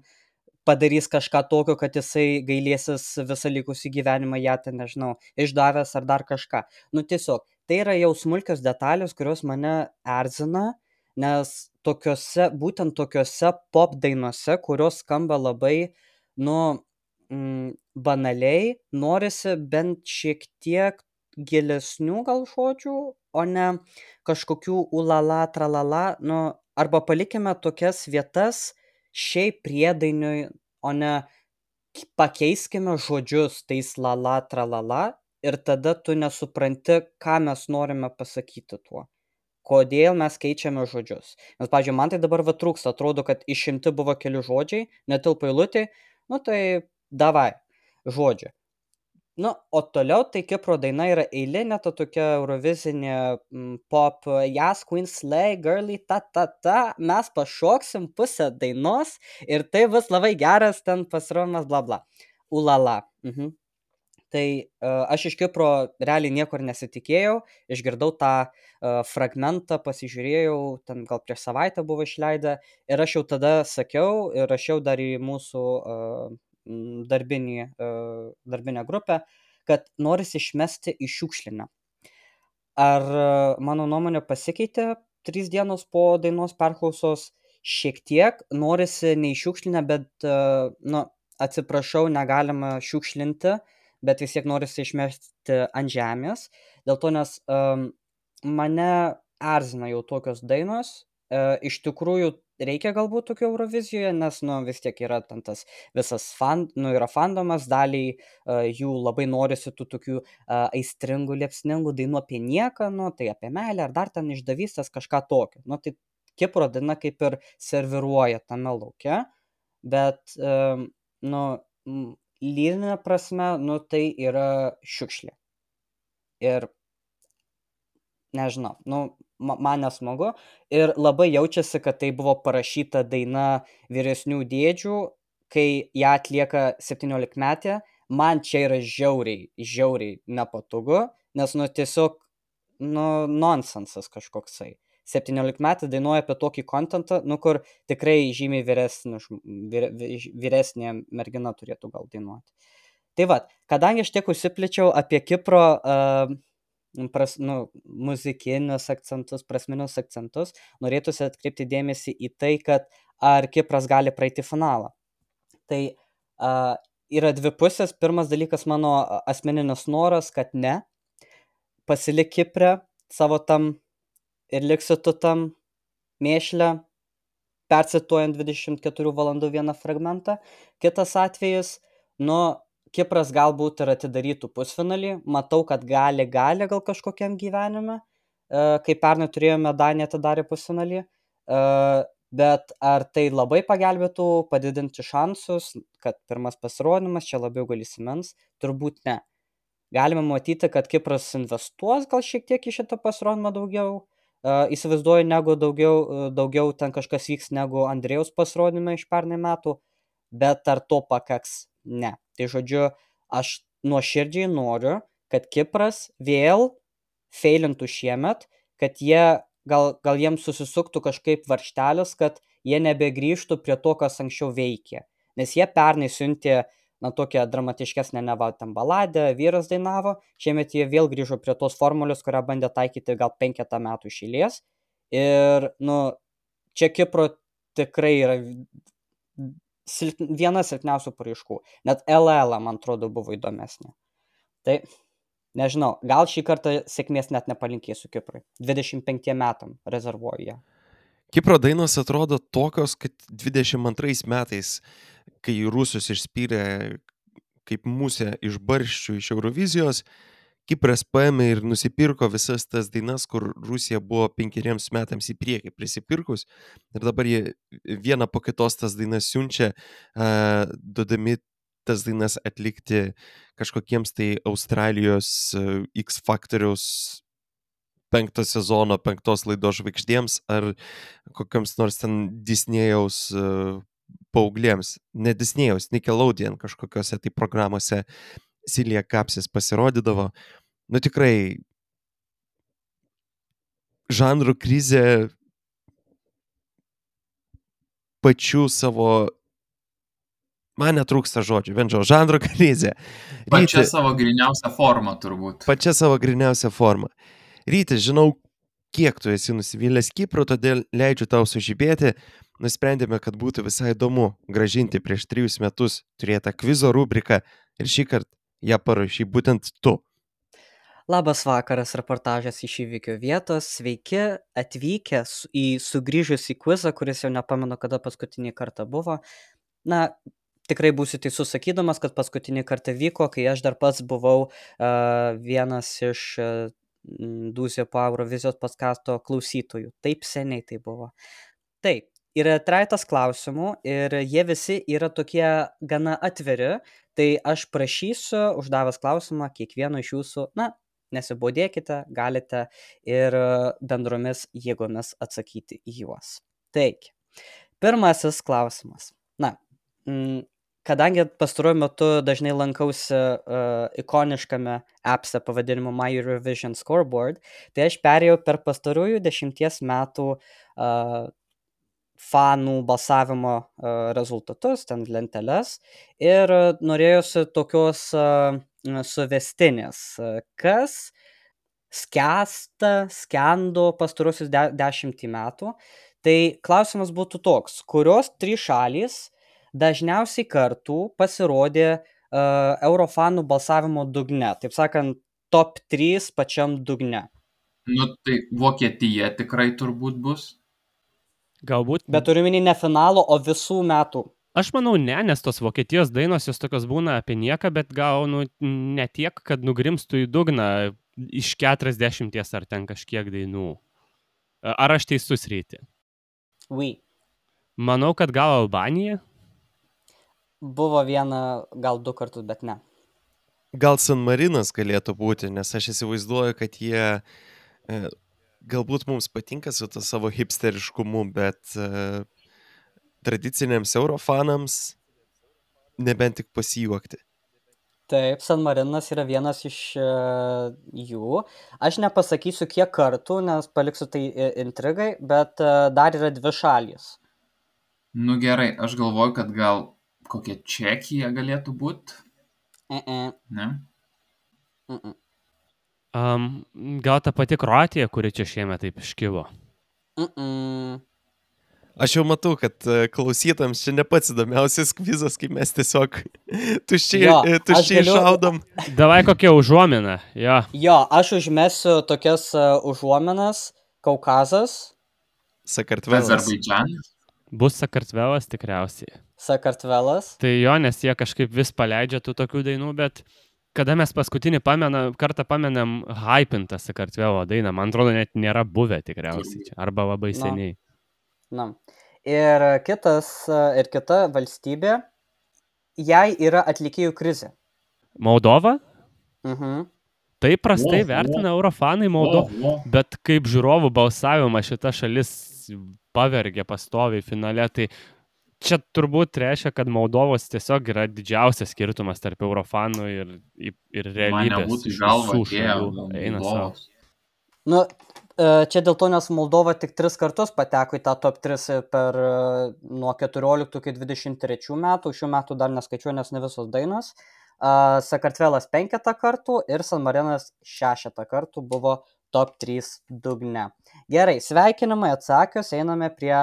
Speaker 5: padarys kažką tokio, kad jisai gailėsis visą likusį gyvenimą ją, ten nežinau, išdavęs ar dar kažką. Nu tiesiog, tai yra jau smulkios detalės, kurios mane erzina, nes tokiuose, būtent tokiuose pop dainuose, kurios skamba labai, nu, mm, banaliai, norisi bent šiek tiek gilesnių gal žodžių, o ne kažkokių ulala, tralala, nu, arba palikime tokias vietas šiaip priedainiui, o ne k- pakeiskime žodžius tais lala, tralala ir tada tu nesupranti, ką mes norime pasakyti tuo. Kodėl mes keičiame žodžius. Nes, pavyzdžiui, man tai dabar va trūksta, atrodo, kad išimti buvo keli žodžiai, netilpo eilutė, nu tai davai, žodžiu. Nu, o toliau tai Kipro daina yra eilinė, ta tokia eurovizinė mm, pop, jas, Queen Slay, girly, ta, ta, ta, mes pašoksim pusę dainos ir tai bus labai geras ten pasirodymas, bla, bla. Ulala. Mhm. Tai uh, aš iš Kipro realiai niekur nesitikėjau, išgirdau tą uh, fragmentą, pasižiūrėjau, ten gal prieš savaitę buvo išleidę ir aš jau tada sakiau ir rašiau dar į mūsų uh, mm, darbinį, uh, darbinę grupę, kad norisi išmesti į šiukšlinę. Ar e, mano nuomonė pasikeitė trys dienos po dainos perklausos? Šiek tiek norisi ne į šiukšlinę, bet, e, nu, atsiprašau, negalima šiukšlinti, bet vis tiek norisi išmesti ant žemės. Dėl to, nes um, mane erzina jau tokios dainos. E, iš tikrųjų reikia galbūt tokio Eurovizijoje, nes, nu, vis tiek yra ten tas visas fan, nu, yra fandomas, daliai uh, jų labai norisi tų tokių uh, aistringų, liepsningų dainų apie nieką, nu, tai apie meilę ar dar ten išdavystės kažką tokio. Nu, tai Kipro daina kaip ir serviruoja tame lauke, bet, um, nu, m, lyrinė prasme, nu, tai yra šiukšlė. Ir nežinau, nu, ma- man nesmagu. Ir labai jaučiasi, kad tai buvo parašyta daina vyresnių dėdžių, kai ją atlieka septyniolikmetė. Man čia yra žiauriai, žiauriai nepatogu, nes, nu, tiesiog, nu, nonsensas kažkoksai. septyniolikmetė dainuoja apie tokį kontentą, nu, kur tikrai žymiai vyresnė, žm- vyre- vi- vyresnė mergina turėtų gal dainuoti. Tai va, kadangi aš tiek užsiplėčiau apie Kipro uh, pras, nu, muzikinius akcentus, prasminius akcentus, norėtųsi atkreipti dėmesį į tai, kad ar Kipras gali praeiti finalą. Tai uh, yra dvi pusės. Pirmas dalykas mano a, asmeninis noras, kad ne, pasilik Kipre savo tam ir liksi tu tam mėšle, percituojant dvidešimt keturių valandų vieną fragmentą. Kitas atvejis, nu, Kipras galbūt ir atidarytų pusfinalį, matau, kad gali, gali gal kažkokiam gyvenime, e, kai pernai turėjome Daniją atidarė pusfinalį, e, bet ar tai labai pagelbėtų padidinti šansus, kad pirmas pasirodymas čia labiau gal įsimens, turbūt ne. Galime matyti, kad Kipras investuos gal šiek tiek į šitą pasirodymą daugiau, uh, įsivaizduoju, negu daugiau, uh, daugiau ten kažkas vyks negu Andrėjaus pasirodymai iš pernai metų, bet ar to pakaks? Ne. Tai žodžiu, aš nuoširdžiai noriu, kad Kipras vėl feilintų šiemet, kad jie, gal, gal jiems susisuktų kažkaip varštelis, kad jie nebegrįžtų prie to, kas anksčiau veikė. Nes jie pernai siuntė, na, tokią dramatiškesnę neva ten baladę, vyras dainavo, šiemet jie vėl grįžo prie tos formulės, kurią bandė taikyti gal penketą metų iš eilės. Ir, nu, čia Kipro tikrai yra silp... viena silpniausių paraiškų. Net L L, man atrodo, buvo įdomesnė. Tai, nežinau, gal šį kartą sėkmės net nepalinkėsiu Kiprui. dvidešimt penkiem metam rezervuoju ją.
Speaker 1: Kipro dainos atrodo tokios, kad dvidešimt antrais metais, kai rusus išspyrė kaip musė iš barščių iš Eurovizijos, Kipras paėmė ir nusipirko visas tas dainas, kur Rusija buvo penkeriems metams į priekį prisipirkus. Ir dabar jie vieną po kitos tas dainas siunčia, uh, duodami tas dainas atlikti kažkokiems tai Australijos uh, X Factoriaus penkto sezono, penktos laidos žvaigždėms ar kokiams nors ten Disnėjaus uh, paauglėms. Ne Disnėjaus, Nickelodeon kažkokiose tai programuose Silija Kapsis pasirodydavo. Nu tikrai, žanrų krizė pačių savo, man netrūksta žodžių, bendžio, žanrų krizė.
Speaker 2: Pačia
Speaker 1: Ryti,
Speaker 2: savo griniausią formą turbūt.
Speaker 1: pačia savo griniausią formą. Ryti, žinau, kiek tu esi nusivylęs Kipru, todėl leidžiu tau sužibėti. Nusprendėme, kad būtų visai įdomu gražinti prieš trijus metus turėtą kvizo rubriką ir šį kartą ją parašy būtent tu.
Speaker 5: Labas vakaras, reportažas iš įvykio vietos. Sveiki atvykę su- į sugrįžusį kvizą, kuris jau nepamenu, kada paskutinį kartą buvo. Na, tikrai būsiu teisus sakydamas, kad paskutinį kartą vyko, kai aš dar pats buvau uh, vienas iš uh, Dūzio po Eurovizijos podcasto klausytojų. Taip seniai tai buvo. Taip, yra trejetas klausimų ir jie visi yra tokie gana atviri, tai aš prašysiu, uždavęs klausimą, kiekvieno iš jūsų, na, nesibodėkite, galite ir e, bendromis jėgomis atsakyti į juos. Taigi, pirmasis klausimas. Na, mm, kadangi pastaruoju metu dažnai lankausi uh, ikoniškame appse pavadinimu My Eurovision Scoreboard, tai aš perėjau per pastarųjų dešimties metų uh, fanų balsavimo uh, rezultatus, ten lenteles, ir uh, norėjusi tokios uh, suvestinės, uh, kas skęsta, skendo pastaruosius de dešimtį metų. Tai klausimas būtų toks, kurios trys šalys dažniausiai kartų pasirodė uh, Eurofanų balsavimo dugne, taip sakant, top trys pačiam dugne.
Speaker 2: Nu, tai Vokietija tikrai turbūt bus.
Speaker 4: Galbūt.
Speaker 5: Bet turiu minį ne finalo, o visų metų.
Speaker 4: Aš manau, ne, nes tos Vokietijos dainos jos tokios būna apie nieką, bet gal nu, ne tiek, kad nugrimstų į dugną iš keturiasdešimties ar ten kažkiek dainų. Ar aš teisus, Ryti?
Speaker 5: Oui.
Speaker 4: Manau, kad gal Albanija?
Speaker 5: Buvo viena, gal du kartus, bet ne.
Speaker 1: Gal San Marinas galėtų būti, nes aš įsivaizduoju, kad jie e, galbūt mums patinka su to savo hipsteriškumu, bet e, tradiciniams eurofanams nebent tik pasijuokti.
Speaker 5: Taip, San Marinas yra vienas iš uh, jų. Aš nepasakysiu kiek kartų, nes paliksiu tai i- intrigai, bet uh, dar yra dvi šalys.
Speaker 2: Nu gerai, aš galvoju, kad gal kokia Čekija galėtų būti,
Speaker 5: Mm-mm,
Speaker 2: ne?
Speaker 5: mm-mm,
Speaker 4: Um, gal ta pati Kroatija, kuri čia šiemet taip iškilo?
Speaker 5: mm-mm.
Speaker 1: Aš jau matau, kad e, klausytams čia ne pats įdomiausias kvizas, kai mes tiesiog tuščiai,
Speaker 5: Jo,
Speaker 1: e,
Speaker 5: aš
Speaker 1: tuščiai
Speaker 5: galiu-
Speaker 1: šaudom.
Speaker 4: Davai kokia užuomina, jo.
Speaker 5: Jo, aš užmesiu tokias uh, užuominas. Kaukazas,
Speaker 1: Sakartvelas.
Speaker 2: Azerbaidžanas.
Speaker 4: Bus Sakartvelas tikriausiai.
Speaker 5: Sakartvelas.
Speaker 4: Tai jo, nes jie kažkaip vis paleidžia tų tokių dainų, bet kada mes paskutinį pamena, kartą pamenam hypintą Sakartvelo dainą, man atrodo, net nėra buvę tikriausiai čia, arba labai
Speaker 5: No.
Speaker 4: seniai.
Speaker 5: Na. Ir kitas, uh, ir kita valstybė, jai yra atlikėjų krizė.
Speaker 4: Moldova?
Speaker 5: Mhm.
Speaker 4: Tai prastai
Speaker 2: O, o.
Speaker 4: vertina eurofanai Moldovą,
Speaker 2: O, o.
Speaker 4: bet kaip žiūrovų balsavimą šita šalis pavergė pastoviai finale, tai čia turbūt reiškia, kad Moldovos tiesiog yra didžiausias skirtumas tarp eurofanų ir, ir
Speaker 2: Man
Speaker 4: realybės.
Speaker 2: nebūtų į
Speaker 4: iš
Speaker 2: galvą
Speaker 4: visų
Speaker 2: atėję
Speaker 4: šalių. Eina savo.
Speaker 2: Moldovos.
Speaker 5: Nu, e, čia dėl to, nes Moldova tik tris kartus pateko į tą top tris per e, nuo keturioliktų iki dvidešimt trečių metų, šių metų dar neskaičiuoju, nes ne visos dainos. A, Sakartvelas penketą kartų ir San Marinas šešetą kartų buvo top trys dugne. Gerai, sveikinimai atsakius, einame prie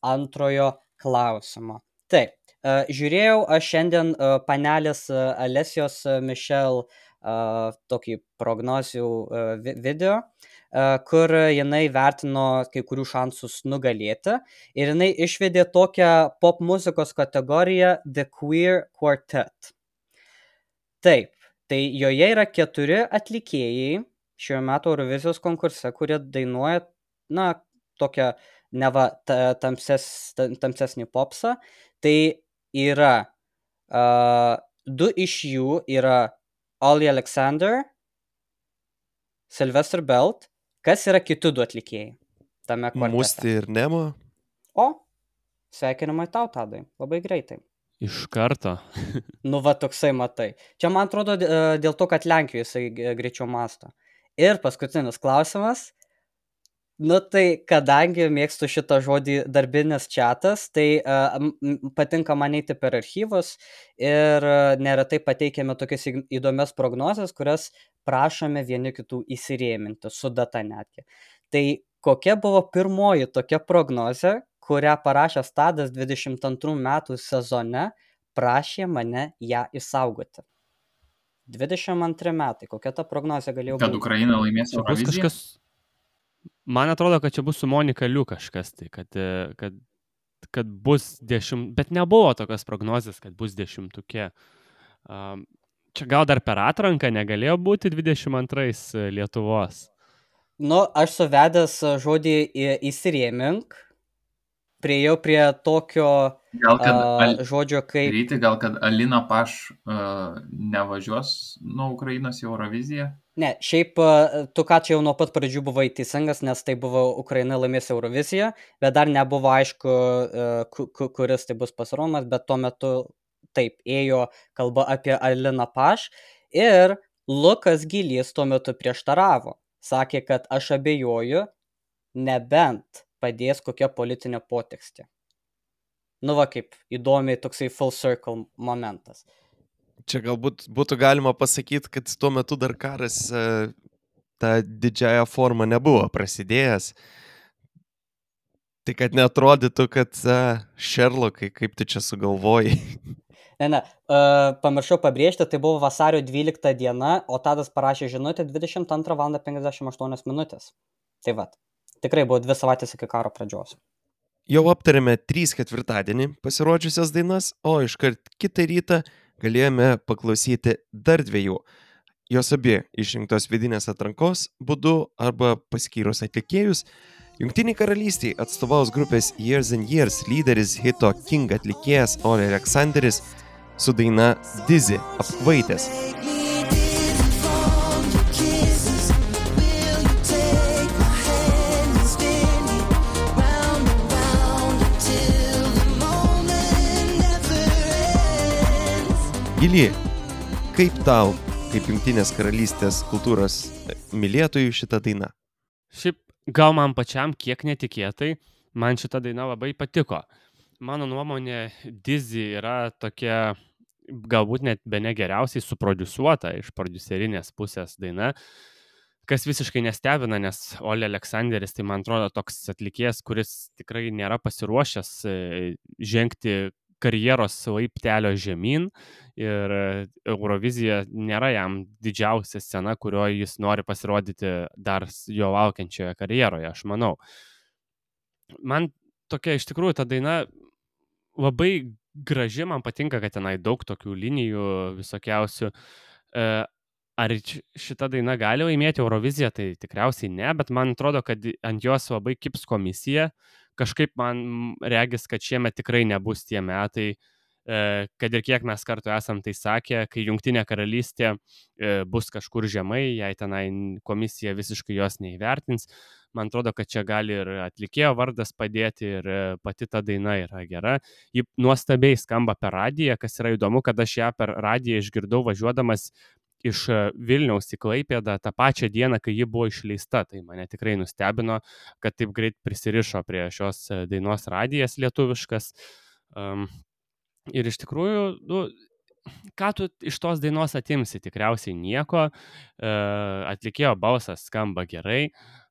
Speaker 5: antrojo klausimo. Taip, Uh, žiūrėjau aš šiandien uh, panelės uh, Alesijos uh, Michel uh, tokį prognozių uh, vi- video, uh, kur jinai vertino kai kurių šansus nugalėti ir jinai išvedė tokią pop muzikos kategoriją The Queer Quartet. Taip, tai joje yra keturi atlikėjai šiuo metu Eurovizijos konkurse, kurie dainuoja, na, tokią neva ta- tamses, ta- tamsesnį popsą. Tai yra uh, du iš jų yra Olly Alexander, Sylvester Belt. Kas yra kiti du atlikėjai tame kvartete?
Speaker 1: Musti ir Nemo.
Speaker 5: O, sveikinimai tau, Tadai, labai greitai.
Speaker 4: Iš karto.
Speaker 5: Nu, va toksai matai. Čia, man atrodo, d- e, dėl to, kad Lenkijoje jisai g- greičiau masto. Ir paskutinis klausimas. Nu, tai kadangi mėgstu šitą žodį darbinis čiatas, tai uh, m- m- patinka man eiti per archyvus ir uh, neretai pateikiame tokias įg- įdomias prognozes, kurias prašome vieni kitų įsirėminti, su data netgi. Tai kokia buvo pirmoji tokia prognozė, kurią parašęs Tadas dvidešimt antrų metų sezone prašė mane ją išsaugoti? dvidešimt antri metai, kokia ta prognozė galėjo
Speaker 2: Kad
Speaker 5: būti?
Speaker 2: Ukraina laimės
Speaker 4: Čia bus
Speaker 2: Euroviziją.
Speaker 4: kažkas. Man atrodo, kad čia bus su Monika Liu kažkas, tai kad, e, kad, kad bus dešimt, bet nebuvo tokios prognozės, kad bus dešimtukė. Um, čia gal dar per atranką negalėjo būti dvidešimt antrais Lietuvos.
Speaker 5: Nu, aš suvedęs a, žodį į- įsirėmink, priejau prie tokio
Speaker 2: Gal kad,
Speaker 5: a,
Speaker 2: al,
Speaker 5: žodžio kaip...
Speaker 2: Ryti, gal kad Alina Paš uh, nevažiuos nuo Ukrainos į Euroviziją?
Speaker 5: Ne, šiaip a, tu ką čia jau nuo pat pradžių buvai teisingas, nes tai buvo Ukraina laimės Euroviziją, bet dar nebuvo aišku, a, ku- ku- kuris tai bus pasirodymas, bet tuo metu taip ėjo kalba apie Aliną Paš ir Lukas Gylys tuo metu prieštaravo. Sakė, kad aš abejoju, nebent padės kokia politinė potekstė. Nu va kaip įdomiai toksai full circle momentas.
Speaker 1: Čia galbūt būtų galima pasakyti, kad tuo metu dar karas e, tą didžiąją formą nebuvo prasidėjęs. Tai kad neatrodytų, kad e, Sherlockai, kaip tu čia sugalvojai.
Speaker 5: Ne, ne, uh, pamiršau pabrėžti, tai buvo vasario dvylikta diena, o Tadas parašė žinutę dvidešimt antrą valandą penkiasdešimt aštuonios minutės. Tai va, tikrai buvo dvi savaitės iki karo pradžios.
Speaker 1: Jau aptarėme trys ketvirtadienį pasirodžiusias dainas, o iškart kitą rytą galėjome paklausyti dar dviejų. Jos abi išrinktos vidinės atrankos būdu arba paskyrus atlikėjus. Jungtiniai karalystiai atstovaus grupės Years and Years lyderis hito King atlikėjas Olly Alexanderis su daina Dizzy apkvaitęs. Gili, kaip tau, kaip Jungtinės karalystės kultūros mylėtojų šitą dainą?
Speaker 4: Šiaip gal man pačiam kiek netikėtai, man šita daina labai patiko. Mano nuomonė, Dizzy yra tokia galbūt net bene geriausiai suprodusuota iš prodiuserinės pusės daina, kas visiškai nestebina, nes Olly Alexanderis, tai man atrodo toks atlikėjas, kuris tikrai nėra pasiruošęs e, žengti karjeros laiptelio žemyn ir e, Eurovizija nėra jam didžiausia scena, kurioje jis nori pasirodyti dar s- jo laukiančioje karjeroje, aš manau. Man tokia iš tikrųjų ta daina labai graži, man patinka, kad tenai daug tokių linijų visokiausių. E, Ar č- šita daina gali laimėti Euroviziją, tai tikriausiai ne, bet man atrodo, kad i- ant jos labai kips komisija. Kažkaip man mm, regis, kad šiemet tikrai nebus tie metai, e, kad ir kiek mes kartu esam tai sakę, kai Jungtinė karalystė e, bus kažkur žemai, jei tenai n- komisija visiškai jos neįvertins. Man atrodo, kad čia gali ir atlikėjo vardas padėti ir e, pati ta daina yra gera. Ji nuostabiai skamba per radiją, kas yra įdomu, kad aš ją per radiją išgirdau važiuodamas iš e, Vilniaus į Klaipėdą tą pačią dieną, kai ji buvo išleista. Tai mane tikrai nustebino, kad taip greit prisirišo prie šios e, dainos radijas lietuviškas. Um, ir iš tikrųjų, nu, ką tu iš tos dainos atimsi? Tikriausiai nieko. E, atlikėjo balsas skamba gerai.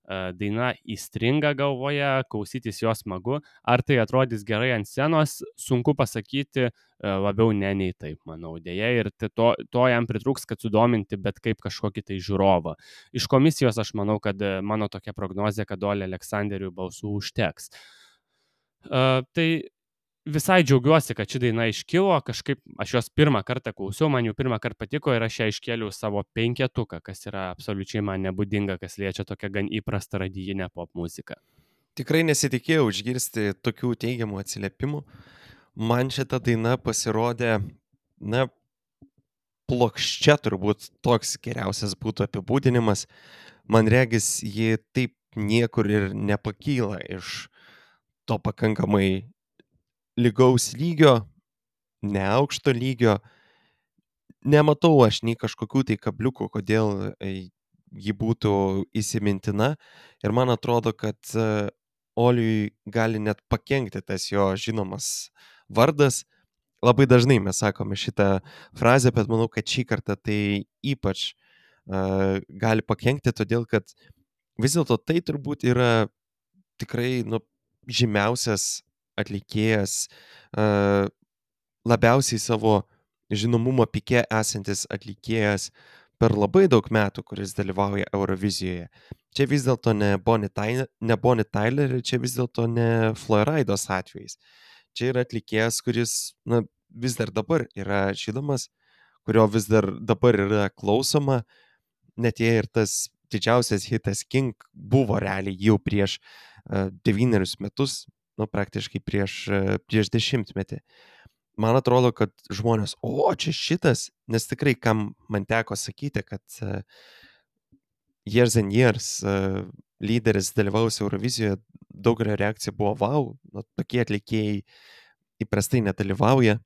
Speaker 4: e, daina įstringa galvoje, klausytis jos smagu, ar tai atrodys gerai ant scenos, sunku pasakyti, e, labiau ne nei taip, manau, dėja, ir tai to, to jam pritrūks, kad sudominti bet kaip kažkokį tai žiūrovą. Iš komisijos aš manau, kad e, mano tokia prognozė, kad Oli Aleksanderiui balsų užteks. Uh, tai visai džiaugiuosi, kad ši daina iškilo, kažkaip aš jos pirmą kartą klausiau, man jau pirmą kartą patiko ir aš ją iškėliau savo penketuką, kas yra absoliučiai man nebūdinga, kas liečia tokią gan įprastą radijinę pop muziką.
Speaker 1: Tikrai nesitikėjau išgirsti tokių teigiamų atsiliepimų. Man šita daina pasirodė, na, plokščia turbūt toks geriausias būtų apibūdinimas. Man regis, ji taip niekur ir nepakyla iš to pakankamai lygaus lygio, neaukšto lygio. Nematau aš nei kažkokių tai kabliukų, kodėl e, ji būtų įsimintina. Ir man atrodo, kad e, Oliui gali net pakenkti tas jo žinomas vardas. Labai dažnai mes sakome šitą frazę, bet manau, kad šį kartą tai ypač e, gali pakenkti, todėl kad vis dėlto tai turbūt yra tikrai nu, žymiausias atlikėjas, e, labiausiai savo žinomumo pike esantis atlikėjas per labai daug metų, kuris dalyvauja Eurovizijoje. Čia vis dėlto ne Bonnie Tyler, ne Bonnie Tyler ir čia vis dėlto ne Floridos atvejais. Čia yra atlikėjas, kuris na, vis dar dabar yra žinomas, kurio vis dar dabar yra klausoma, net jei ir tas didžiausias hitas King buvo realiai jau prieš uh, devynerius metus, nu praktiškai prieš, uh, prieš dešimtmetį. Man atrodo, kad žmonės, o čia šitas, nes tikrai kam man teko sakyti, kad uh, Years and Years uh, lyderis dalyvaus Eurovizijoje, daugelio reakcija buvo wow, nu, tokie atlikėjai įprastai nedalyvauja.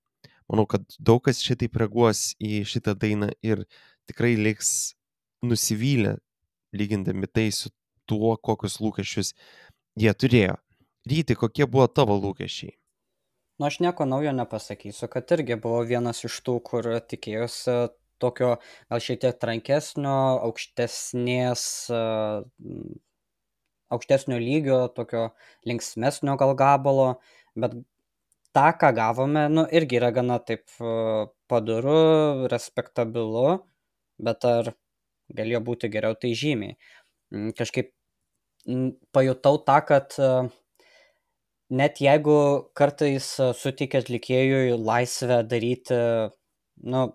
Speaker 1: Manau, kad daug kas šitaip reaguos į šitą dainą ir tikrai liks nusivylę, lygindami tai su tuo, kokius lūkesčius jie turėjo. Ryti, kokie buvo tavo lūkesčiai?
Speaker 5: Nu, aš nieko naujo nepasakysiu, kad irgi buvo vienas iš tų, kur tikėjosi tokio gal šiek tiek trankesnio, aukštesnės, uh, aukštesnio lygio, tokio linksmesnio gal gabalo, bet tą, ką gavome, nu, irgi yra gana taip uh, padoru, respektabilu, bet ar galėjo būti geriau, tai žymiai. Mm, Kažkaip mm, pajutau tą, kad uh, net jeigu kartais uh, suteikia atlikėjui laisvę daryti, nu,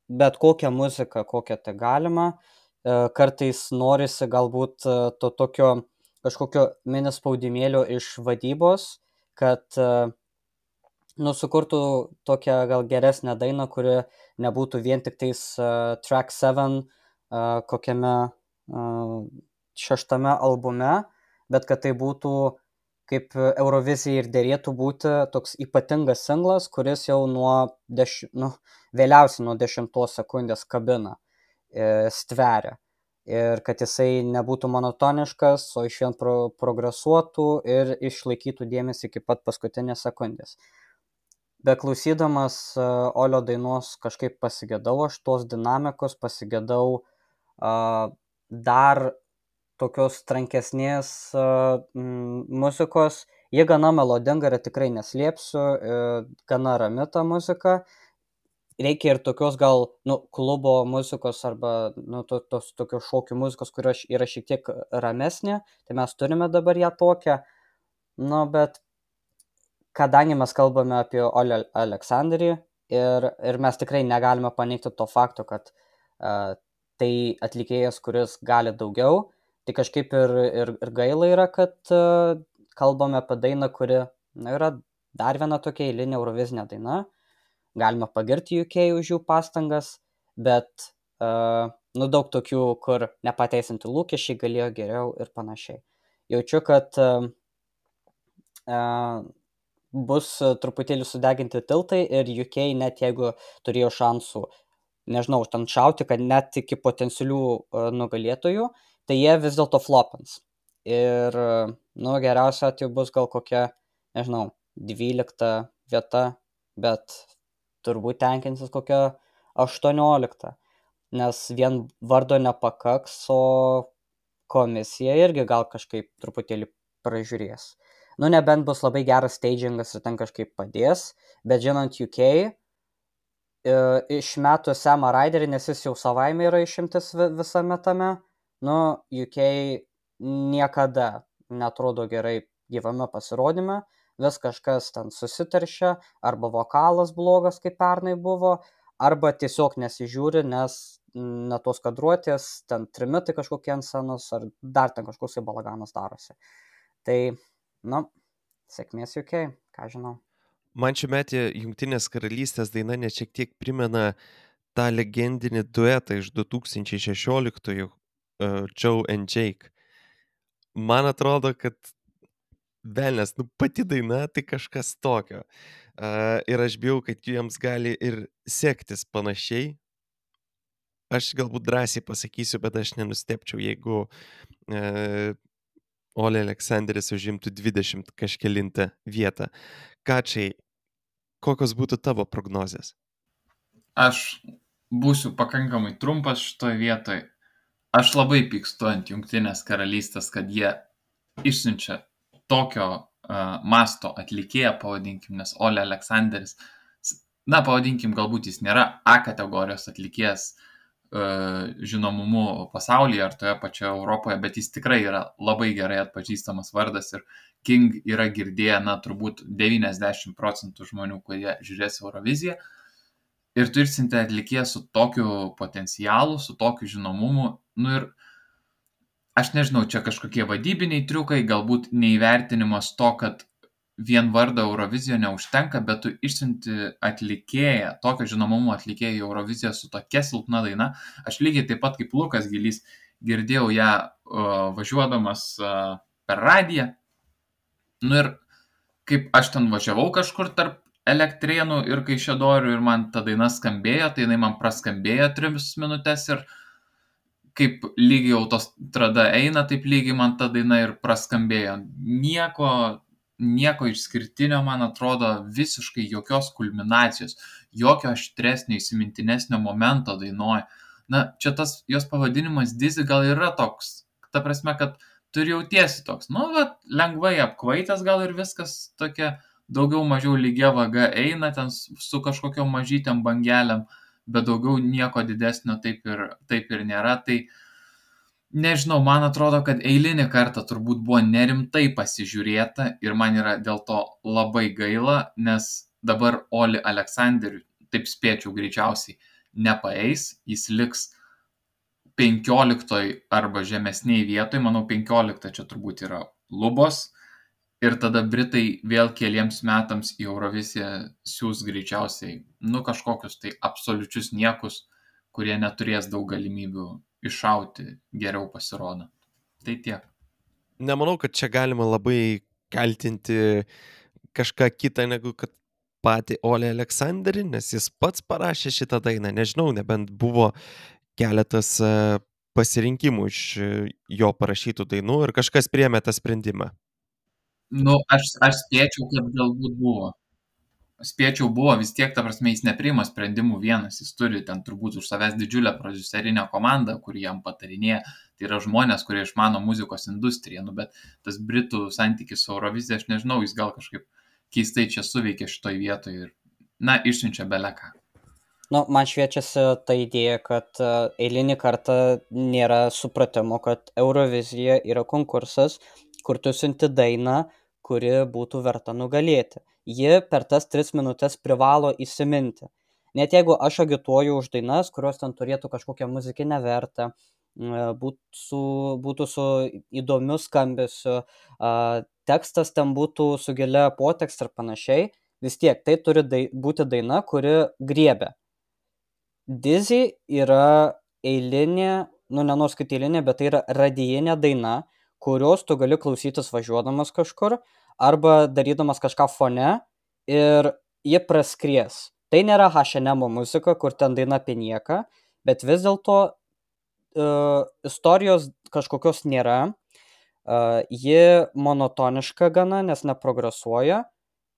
Speaker 5: bet kokią muziką, kokią tai galima, uh, kartais norisi galbūt uh, to tokio kažkokio mini spaudimėlio iš vadybos, kad uh, nu, sukurtų tokią gal geresnę dainą, kuri nebūtų vien tik tais uh, track seven uh, kokiame uh, šeštame albume, bet kad tai būtų kaip Eurovizijai ir dėrėtų būti toks ypatingas singlas, kuris jau nuo deš... nu, vėliausiai nuo dešimtos sekundės kabina, e, stveria. Ir kad jisai nebūtų monotoniškas, o iš vien pro, progresuotų ir išlaikytų dėmesį iki pat paskutinės sekundės. Beklausydamas uh, Olio dainos kažkaip pasigėdau aš tos dinamikos, pasigėdau uh, dar tokios trankesnės uh, m, muzikos. Jie gana melodinga ir tikrai neslėpsiu, uh, gana rami ta muzika. Reikia ir tokios gal nu, klubo muzikos arba nu, to, tos tokios šokių muzikos, kurios yra šiek tiek ramesnė. Tai mes turime dabar ją tokią. Nu, bet kadangi mes kalbame apie Olį Aleksanderį ir, ir mes tikrai negalime paneigti to fakto, kad uh, tai atlikėjas, kuris gali daugiau, tai kažkaip ir, ir, ir gaila yra, kad uh, kalbame apie dainą, kuri na, yra dar viena tokia eilinė eurovizinė daina. Galima pagirti U K už jų pastangas, bet uh, nu, daug tokių, kur nepateisinti lūkesčiai galėjo geriau ir panašiai. Jaučiu, kad uh, uh, bus truputėlį sudeginti tiltai ir U K net jeigu turėjo šansų, nežinau, ten šauti, kad net iki potencialių uh, nugalėtojų, tai jie vis dėlto flopins. Ir, uh, nu, geriausia atveju bus gal kokia, nežinau, dvylikta vieta, bet turbūt tenkinsis kokia aštuoniolikta, nes vien vardo nepakaks, o komisija irgi gal kažkaip truputėlį pražiūrės. Nu, nebent bus labai geras stagingas ir ten kažkaip padės, bet žinant U K, e, išmetų Samą Ryderį, nes jis jau savaime yra išimtis vi- visame tame, nu, U K niekada netrodo gerai gyvame pasirodyme, vis kažkas ten susiteršia, arba vokalas blogas, kaip pernai buvo, arba tiesiog nesižiūri, nes mm, ne tos kadruotės, ten trimitai kažkokie ant scenos, ar dar ten kažkoks tai balaganas darosi. Tai, nu, sėkmės U K, ką žinau.
Speaker 1: Man šiųmetė Jungtinės karalystės daina net šiek tiek primena tą legendinį duetą iš du tūkstančiai šešioliktųjų uh, Joe and Jake. Man atrodo, kad velnės, nu pati daina tai kažkas tokio. Uh, ir aš bijau, kad jiems gali ir sektis panašiai. Aš galbūt drąsiai pasakysiu, bet aš nenustepčiau, jeigu uh, Ole Aleksanderis užimtų dvidešimt kažkelintą vietą. Kačiai, kokios būtų tavo prognozės?
Speaker 2: Aš būsiu pakankamai trumpas šitoje vietoje. Aš labai pykstu ant Jungtinės karalystės, kad jie išsiunčia tokio uh, masto atlikėją, pavadinkim, nes Ole Aleksanderis, s- na, pavadinkim, galbūt jis nėra A kategorijos atlikėjas uh, žinomumu pasaulyje ar toje pačioje Europoje, bet jis tikrai yra labai gerai atpažįstamas vardas ir King yra girdėję, na, turbūt devyniasdešimt procentų žmonių, kurie žiūrės Euroviziją. Ir tu išsiuntė atlikėją su tokiu potencialu, su tokiu žinomumu. Nu ir aš nežinau, čia kažkokie vadybiniai triukai, galbūt neįvertinimas to, kad vien vardo Eurovizijoje neužtenka, bet tu išsiunti atlikėją, tokio žinomumo atlikėją į Euroviziją su tokia silpna daina. Aš lygiai taip pat kaip Lukas Gilys girdėjau ją uh, važiuodamas uh, per radiją. Nu ir kaip aš ten važiavau kažkur tarp Elektrėnų ir Kaišiadorių ir man ta daina skambėjo, tai jinai man praskambėjo tris minutės ir kaip lygiai autostrada eina, taip lygiai man ta daina ir praskambėjo. Nieko, nieko išskirtinio, man atrodo, visiškai jokios kulminacijos, jokio aštresnio, įsimintinesnio momento dainuoja. Na, čia tas jos pavadinimas Dizzy gal yra toks, ta prasme, kad tu ir jautiesi toks, nu, va, lengvai apkvaitęs gal ir viskas tokia daugiau mažiau lygia vaga eina ten s- su kažkokiom mažytėm bangelėm, bet daugiau nieko didesnio taip ir, taip ir nėra. Tai nežinau, man atrodo, kad eilinį kartą turbūt buvo nerimtai pasižiūrėta ir man yra dėl to labai gaila, nes dabar Oli Aleksanderiui, taip spėčiau greičiausiai, nepaeis, jis liks penkioliktoj arba žemesniai vietoj, manau penkiolikta čia turbūt yra lubos. Ir tada Britai vėl keliems metams į Euroviziją siūs greičiausiai, nu, kažkokius tai absoliučius niekus, kurie neturės daug galimybių iššauti geriau pasirodo. Tai tiek.
Speaker 1: Nemanau, kad čia galima labai kaltinti kažką kitą negu kad patį Ole Aleksanderį, nes jis pats parašė šitą dainą. Nežinau, nebent buvo keletas e, pasirinkimų iš e, jo parašytų dainų ir kažkas priėmė tą sprendimą.
Speaker 2: Nu, aš, aš spėčiau, kad galbūt buvo. Spėčiau buvo, vis tiek, ta prasme, jis nepriima sprendimų vienas, jis turi ten turbūt už savęs didžiulę prodiuserinę komandą, kuri jam patarinėja. Tai yra žmonės, kurie išmano muzikos industriją, nu, bet tas Britų santykis su Eurovizija, aš nežinau, jis gal kažkaip keistai čia suveikė šitoj vietoj ir, na, išsiunčia beleką.
Speaker 5: Nu, man šviečiasi ta idėja, kad e, eilinį kartą nėra supratimo, kad Eurovizija yra konkursas, kur tu siunti dainą, kuri būtų verta nugalėti. Ji per tas tris minutės privalo įsiminti. Net jeigu aš agituoju už dainas, kurios ten turėtų kažkokią muzikinę vertę, e, būtų su, būtų su įdomiu skambesiu, a, tekstas ten būtų su gilia potekste ir panašiai, vis tiek tai turi dai, būti daina, kuri griebia. Dizzy yra eilinė, nu nenors kaip eilinė, bet tai yra radijinė daina, kurios tu gali klausytis važiuodamas kažkur arba darydamas kažką fone ir ji praskries. Tai nėra H and M muzika, kur ten daina apie nieką, bet vis dėlto uh, istorijos kažkokios nėra. Uh, ji monotoniška gana, nes neprogresuoja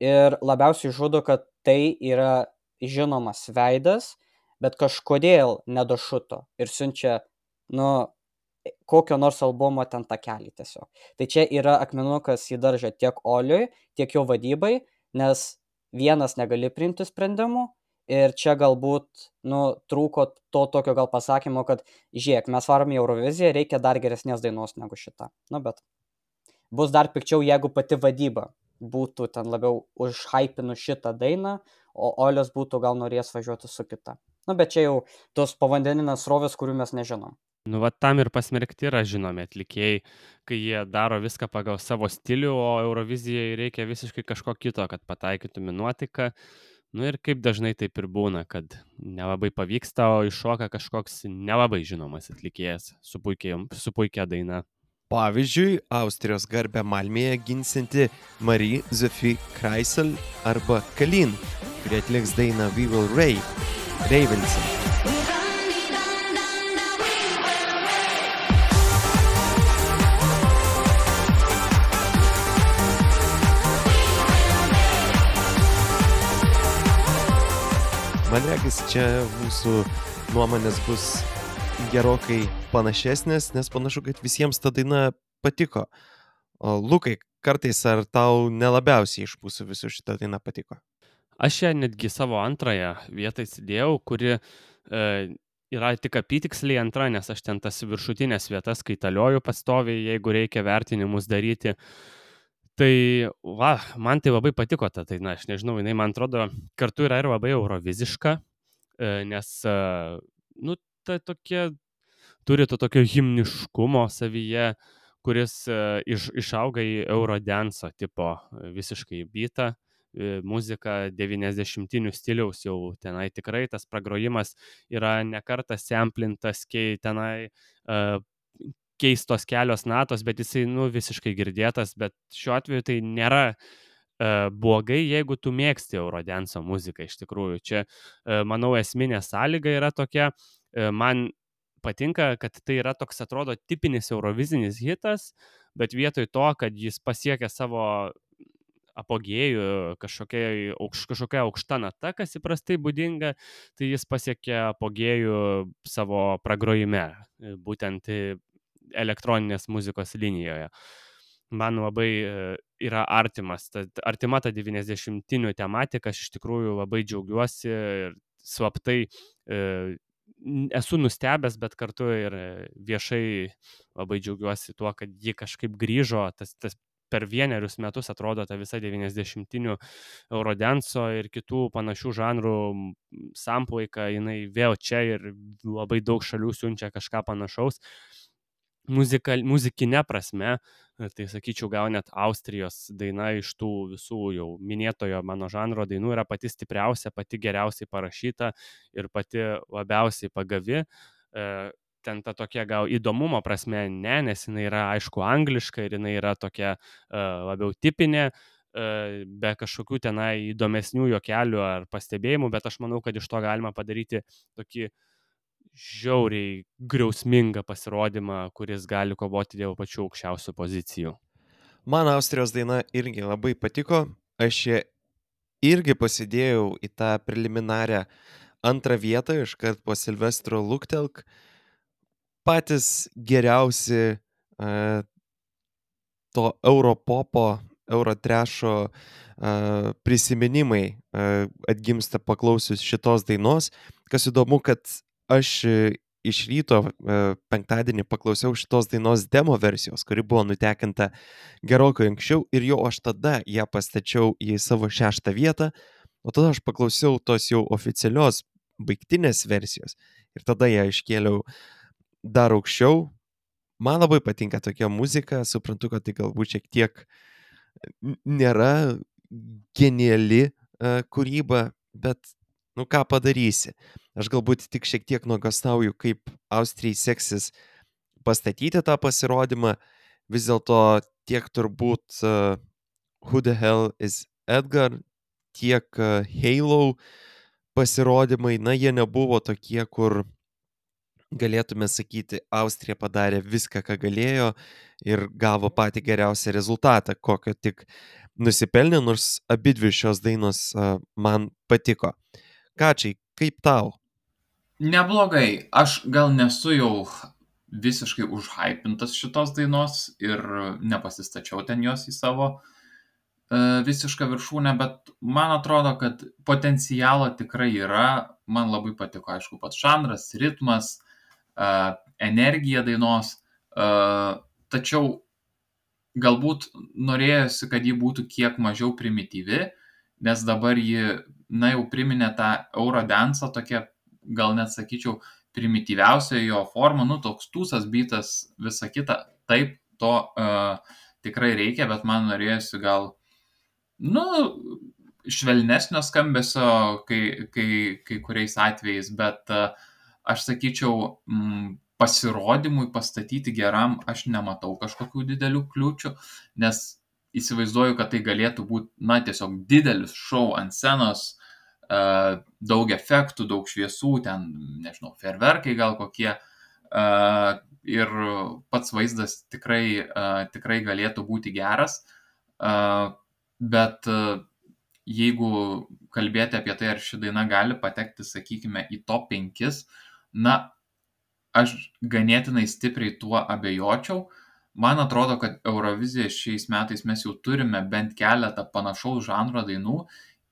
Speaker 5: ir labiausiai žudo, kad tai yra žinomas veidas, bet kažkodėl nedašuto ir siunčia, nu, kokio nors albumo ten takelį tiesiog. Tai čia yra akmenukas į daržą tiek Oliui, tiek jo vadybai, nes vienas negali priimti sprendimų ir čia galbūt, nu, trūko to tokio gal pasakymo, kad žiūrėk, mes varom į Euroviziją, reikia dar geresnės dainos negu šita. Nu, bet bus dar pikčiau, jeigu pati vadyba būtų ten labiau užhypinu šitą dainą, o Olius būtų gal norėjęs važiuoti su kita. Nu, bet čia jau tos povandeninės srovės, kurių mes nežinom.
Speaker 4: Nu, va tam ir pasmerkti yra žinomi atlikėjai, kai jie daro viską pagal savo stilių, o Eurovizijai reikia visiškai kažko kito, kad pataikytum į nuotaiką. Nu ir kaip dažnai taip ir būna, kad nelabai pavyksta, o iššoka kažkoks nelabai žinomas atlikėjas su puikia, su puikia daina.
Speaker 1: Pavyzdžiui, Austrijos garbę Malmėje ginsinti Marie Sophie Kreisel arba Kalin, kurie atliks dainą We Will Rave, Reivinsim. Man regis, čia mūsų nuomonės bus gerokai panašesnės, nes panašu, kad visiems ta daina patiko. O Lukai, kartais ar tau nelabiausiai iš mūsų visų šitą dainą patiko?
Speaker 4: Aš ją netgi savo antrąją vietą įsidėjau, kuri e, yra tik apytiksliai antra, nes aš ten tas viršutinės vietas kaitalioju pastoviai, jeigu reikia vertinimus daryti. Tai, va, man tai labai patiko ta daina, aš nežinau, jinai man atrodo kartu yra ir labai euroviziška, e, nes, e, nu, ta tokia, turi to tokio himniškumo savyje, kuris e, iš, išauga į eurodance tipo e, visiškai beatą, e, muzika devyniasdešimtinių stiliaus jau tenai tikrai, tas pragrojimas yra nekartą samplintas, kai tenai e, keistos kelios natos, bet jisai, nu, visiškai girdėtas, bet šiuo atveju tai nėra e, blogai, jeigu tu mėgsti eurodanso muziką iš tikrųjų. Čia, e, manau, esminė sąlyga yra tokia, e, man patinka, kad tai yra toks, atrodo, tipinis eurovizinis hitas, bet vietoj to, kad jis pasiekia savo apogėjų kažkokia, aukš, kažkokia aukšta nata, kas įprastai būdinga, tai jis pasiekia apogėjų savo pragrojime, būtent elektroninės muzikos linijoje. Man labai yra artimas, ta, artima ta devyniasdešimtinių tematika, aš iš tikrųjų labai džiaugiuosi ir slaptai e, esu nustebęs, bet kartu ir viešai labai džiaugiuosi tuo, kad ji kažkaip grįžo, tas, tas per vienerius metus atrodo ta visa devyniasdešimtinių eurodanso ir kitų panašių žanrų samplaika, jinai vėl čia ir labai daug šalių siunčia kažką panašaus. Muzika, muzikinė prasme, tai sakyčiau, gal net Austrijos daina iš tų visų jau minėtojo mano žanro dainų yra pati stipriausia, pati geriausiai parašyta ir pati labiausiai pagavi. Ten ta tokia gal įdomumo prasme ne, nes jinai yra aišku angliška ir jinai yra tokia labiau tipinė, be kažkokių tenai įdomesnių juokelių ar pastebėjimų, bet aš manau, kad iš to galima padaryti tokį žiauriai griausmingą pasirodymą, kuris gali kovoti dėl pačių aukščiausių pozicijų.
Speaker 1: Man Austrijos daina irgi labai patiko. Aš ją irgi pasidėjau į tą preliminarią antrą vietą, iškart po Silvestro Luktelk. Patys geriausi uh, to europopo, eurotrešo uh, prisiminimai uh, atgimsta paklausius šitos dainos. Kas įdomu, kad aš iš ryto penktadienį paklausiau šitos dainos demo versijos, kuri buvo nutekinta gerokai anksčiau ir jau aš tada ją pastačiau į savo šeštą vietą, o tada aš paklausiau tos jau oficialios baigtinės versijos ir tada ją iškėliau dar aukščiau. Man labai patinka tokia muzika, suprantu, kad tai galbūt šiek tiek nėra geniali uh, kūryba, bet nu ką padarysi. Aš galbūt tik šiek tiek nuogąstauju, kaip Austrijai seksis pastatyti tą pasirodymą. Vis dėlto tiek turbūt uh, Who the Hell is Edgar, tiek uh, Halo pasirodymai, na jie nebuvo tokie, kur galėtume sakyti, Austrija padarė viską, ką galėjo ir gavo patį geriausią rezultatą, kokio tik nusipelnė, nors abidvi šios dainos uh, man patiko. Kačiai, kaip tau?
Speaker 2: Neblogai. Aš gal nesu jau visiškai užhypintas šitos dainos ir nepasistačiau ten jos į savo e, visišką viršūnę, bet man atrodo, kad potencialo tikrai yra. Man labai patiko, aišku, pats žanras, ritmas, e, energija dainos, e, tačiau galbūt norėjosi, kad ji būtų kiek mažiau primityvi, nes dabar ji, na, jau priminė tą Eurodance, tokia, gal net sakyčiau, primityviausia jo forma, nu, toks tūsas, bytas, visa kita. Taip, to uh, tikrai reikia, bet man norėjosi gal, nu, švelnesnio skambesio kai, kai, kai kuriais atvejais, bet uh, aš sakyčiau, mm, pasirodymui pastatyti geram aš nematau kažkokių didelių kliūčių, nes įsivaizduoju, kad tai galėtų būti, na, tiesiog didelis šou ant scenos, uh, daug efektų, daug šviesų, ten, nežinau, fejerverkai gal kokie, uh, ir pats vaizdas tikrai, uh, tikrai galėtų būti geras, uh, bet uh, jeigu kalbėti apie tai, ar ši daina gali patekti, sakykime, į top penkis, na, aš ganėtinai stipriai tuo abejočiau. Man atrodo, kad Eurovizijoje šiais metais mes jau turime bent keletą panašaus žanro dainų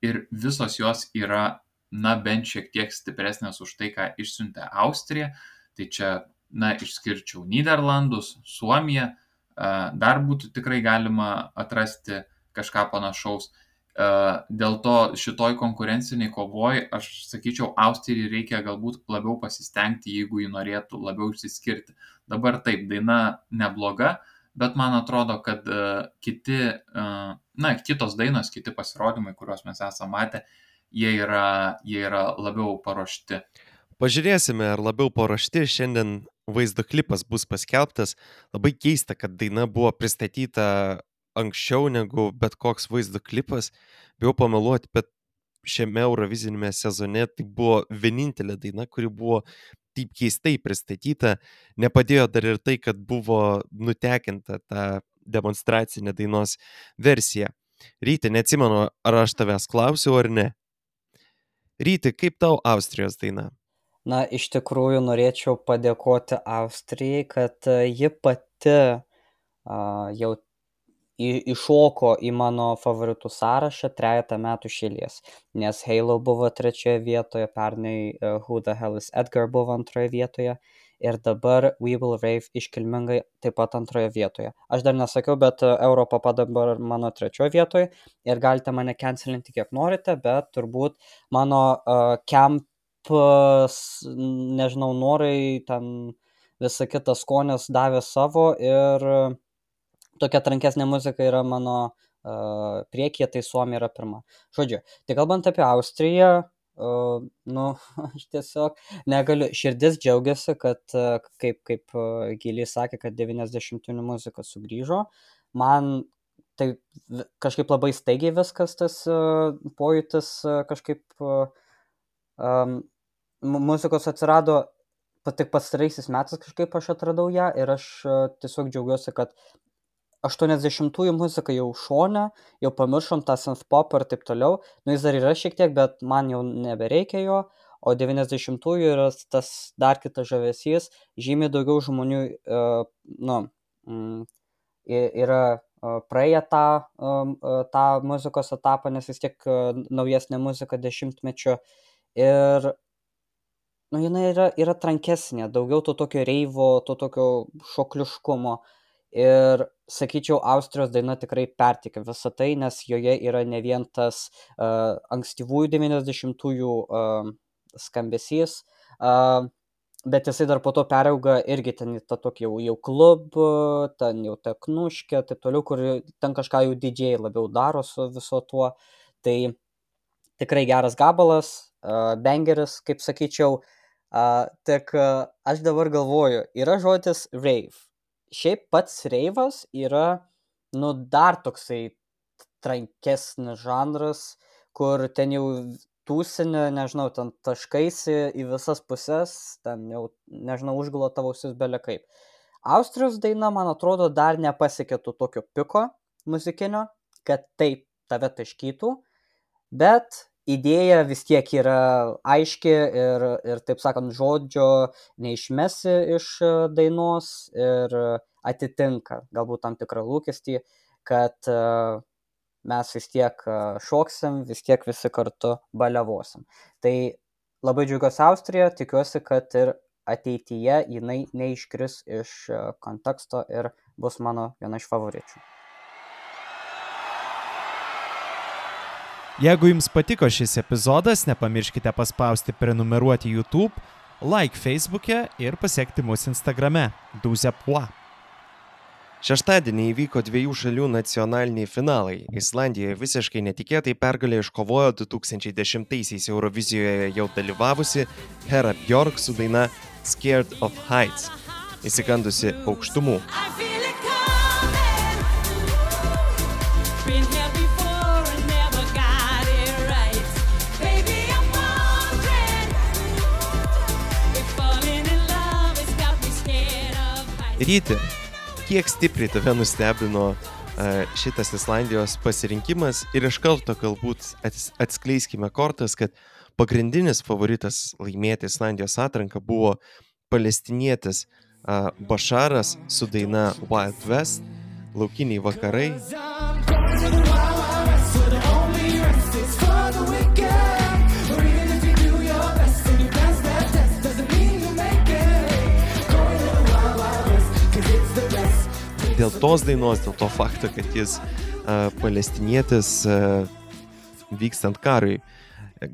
Speaker 2: ir visos jos yra, na, bent šiek tiek stipresnės už tai, ką išsiuntė Austrija. Tai čia, na, išskirčiau Nyderlandus, Suomiją, dar būtų tikrai galima atrasti kažką panašaus. Dėl to šitoj konkurenciniai kovoj, aš sakyčiau, Austrijai reikia galbūt labiau pasistengti, jeigu ji norėtų labiau išsiskirti. Dabar taip, daina nebloga, bet man atrodo, kad uh, kiti, uh, na, kitos dainos, kiti pasirodymai, kuriuos mes esame matę, jie yra, jie yra labiau paruošti.
Speaker 1: Pažiūrėsime, ar labiau paruošti. Šiandien vaizdo klipas bus paskelbtas. Labai keista, kad daina buvo pristatyta anksčiau negu bet koks vaizdo klipas. Bijau pameluoti, bet šiame Eurovizinėme sezone tai buvo vienintelė daina, kuri buvo taip keistai pristatyta. Nepadėjo dar ir tai, kad buvo nutekinta ta demonstracinė dainos versija. Ryti, neatsimenu, ar aš tavęs klausiau ar ne. Ryti, kaip tau Austrijos daina?
Speaker 5: Na, iš tikrųjų norėčiau padėkoti Austrijai, kad a, ji pati a, jau į- iššoko į mano favoritų sąrašą trejetą metų iš eilės, nes Halo buvo trečioje vietoje, pernai a, Who the Hell is Edgar buvo antroje vietoje ir dabar We Will Rave iškilmingai taip pat antroje vietoje. Aš dar nesakiau, bet a, Europapa dabar mano trečioje vietoje ir galite mane cancelinti kiek norite, bet turbūt mano uh, camp, s- nežinau, norai, ten visa kita skonis davė savo ir uh, tokia trankesnė muzika yra mano uh, priekyje, tai Suomija yra pirma. Žodžiu, tai kalbant apie Austriją, uh, nu, aš tiesiog negaliu, širdis džiaugiasi, kad, uh, kaip, kaip uh, Giliai sakė, kad devyniasdešimtinių muzika sugrįžo. Man tai vi- kažkaip labai staigiai viskas tas uh, pojūtis uh, kažkaip uh, um, mu- muzikos atsirado pa- tik pastaraisiais metais kažkaip aš atradau ją ir aš uh, tiesiog džiaugiuosi, kad aštuoniasdešimtųjų muzika jau šone, jau pamiršom tą synth-pop ir taip toliau, nu jis dar yra šiek tiek, bet man jau nebereikia jo, o devyniasdešimtųjų yra tas dar kitas žavesys, žymiai daugiau žmonių, uh, nu, mm, i- yra uh, praėję tą, um, uh, tą muzikos etapą, nes vis tiek uh, naujesnė muzika dešimtmečio ir nu, jinai yra, yra trankesnė, daugiau to tokio reivo, to tokio šokliškumo. Ir sakyčiau, Austrijos daina tikrai perteikia visą tai, nes joje yra ne vien tas uh, ankstyvųjų devyniasdešimtųjų uh, skambesys, uh, bet jisai dar po to perauga irgi ten į tą tokį jau, jau klubą, ten jau teknuškę, taip toliau, kur ten kažką jau didžiai labiau daro su viso tuo. Tai tikrai geras gabalas, uh, bangeris, kaip sakyčiau. Uh, tik uh, aš dabar galvoju, yra žodis rave. Šiaip pats reivas yra, nu, dar toksai trankesnis žanras, kur ten jau tūsinė, nežinau, ten taškaisi į visas puses, ten jau, nežinau, užgula tavo ausis bele kaip. Austrijos daina, man atrodo, dar nepasiekė to tokio piko muzikinio, kad taip tave taškytų, bet idėja vis tiek yra aiški ir, ir taip sakant, žodžio neišmesi iš e, dainos ir atitinka galbūt tam tikrą lūkestį, kad e, mes vis tiek e, šoksim, vis tiek visi kartu baliavosim. Tai labai džiaugiuosi Austrija, tikiuosi, kad ir ateityje jinai neiškris iš e, konteksto ir bus mano viena iš favoričių.
Speaker 6: Jeigu jums patiko šis epizodas, nepamirškite paspausti prenumeruoti YouTube, like Facebook'e ir pasekti mus Instagrame douze pois.
Speaker 1: Šeštadienį įvyko dviejų šalių nacionaliniai finalai. Islandijoje visiškai netikėtai pergalę iškovojo du tūkstančiai dešimtaisiais Eurovizijoje jau dalyvavusi Hera Björk su daina Scared of Heights, įsikandusi aukštumų.
Speaker 3: I feel it coming. Been here before and never got it right. Baby, I'm wondering if falling in love has got me scared of heights.
Speaker 1: Ryti, kiek stipriai tave nustebino e, šitas Islandijos pasirinkimas ir iš karto galbūt ats- atskleiskime kortas, kad pagrindinis favoritas laimėti Islandijos atranką buvo palestinietis e, Basharas su daina Wild West, Laukiniai vakarai. Dėl tos dainos, dėl to fakto, kad jis uh, palestinietis uh, vykstant karui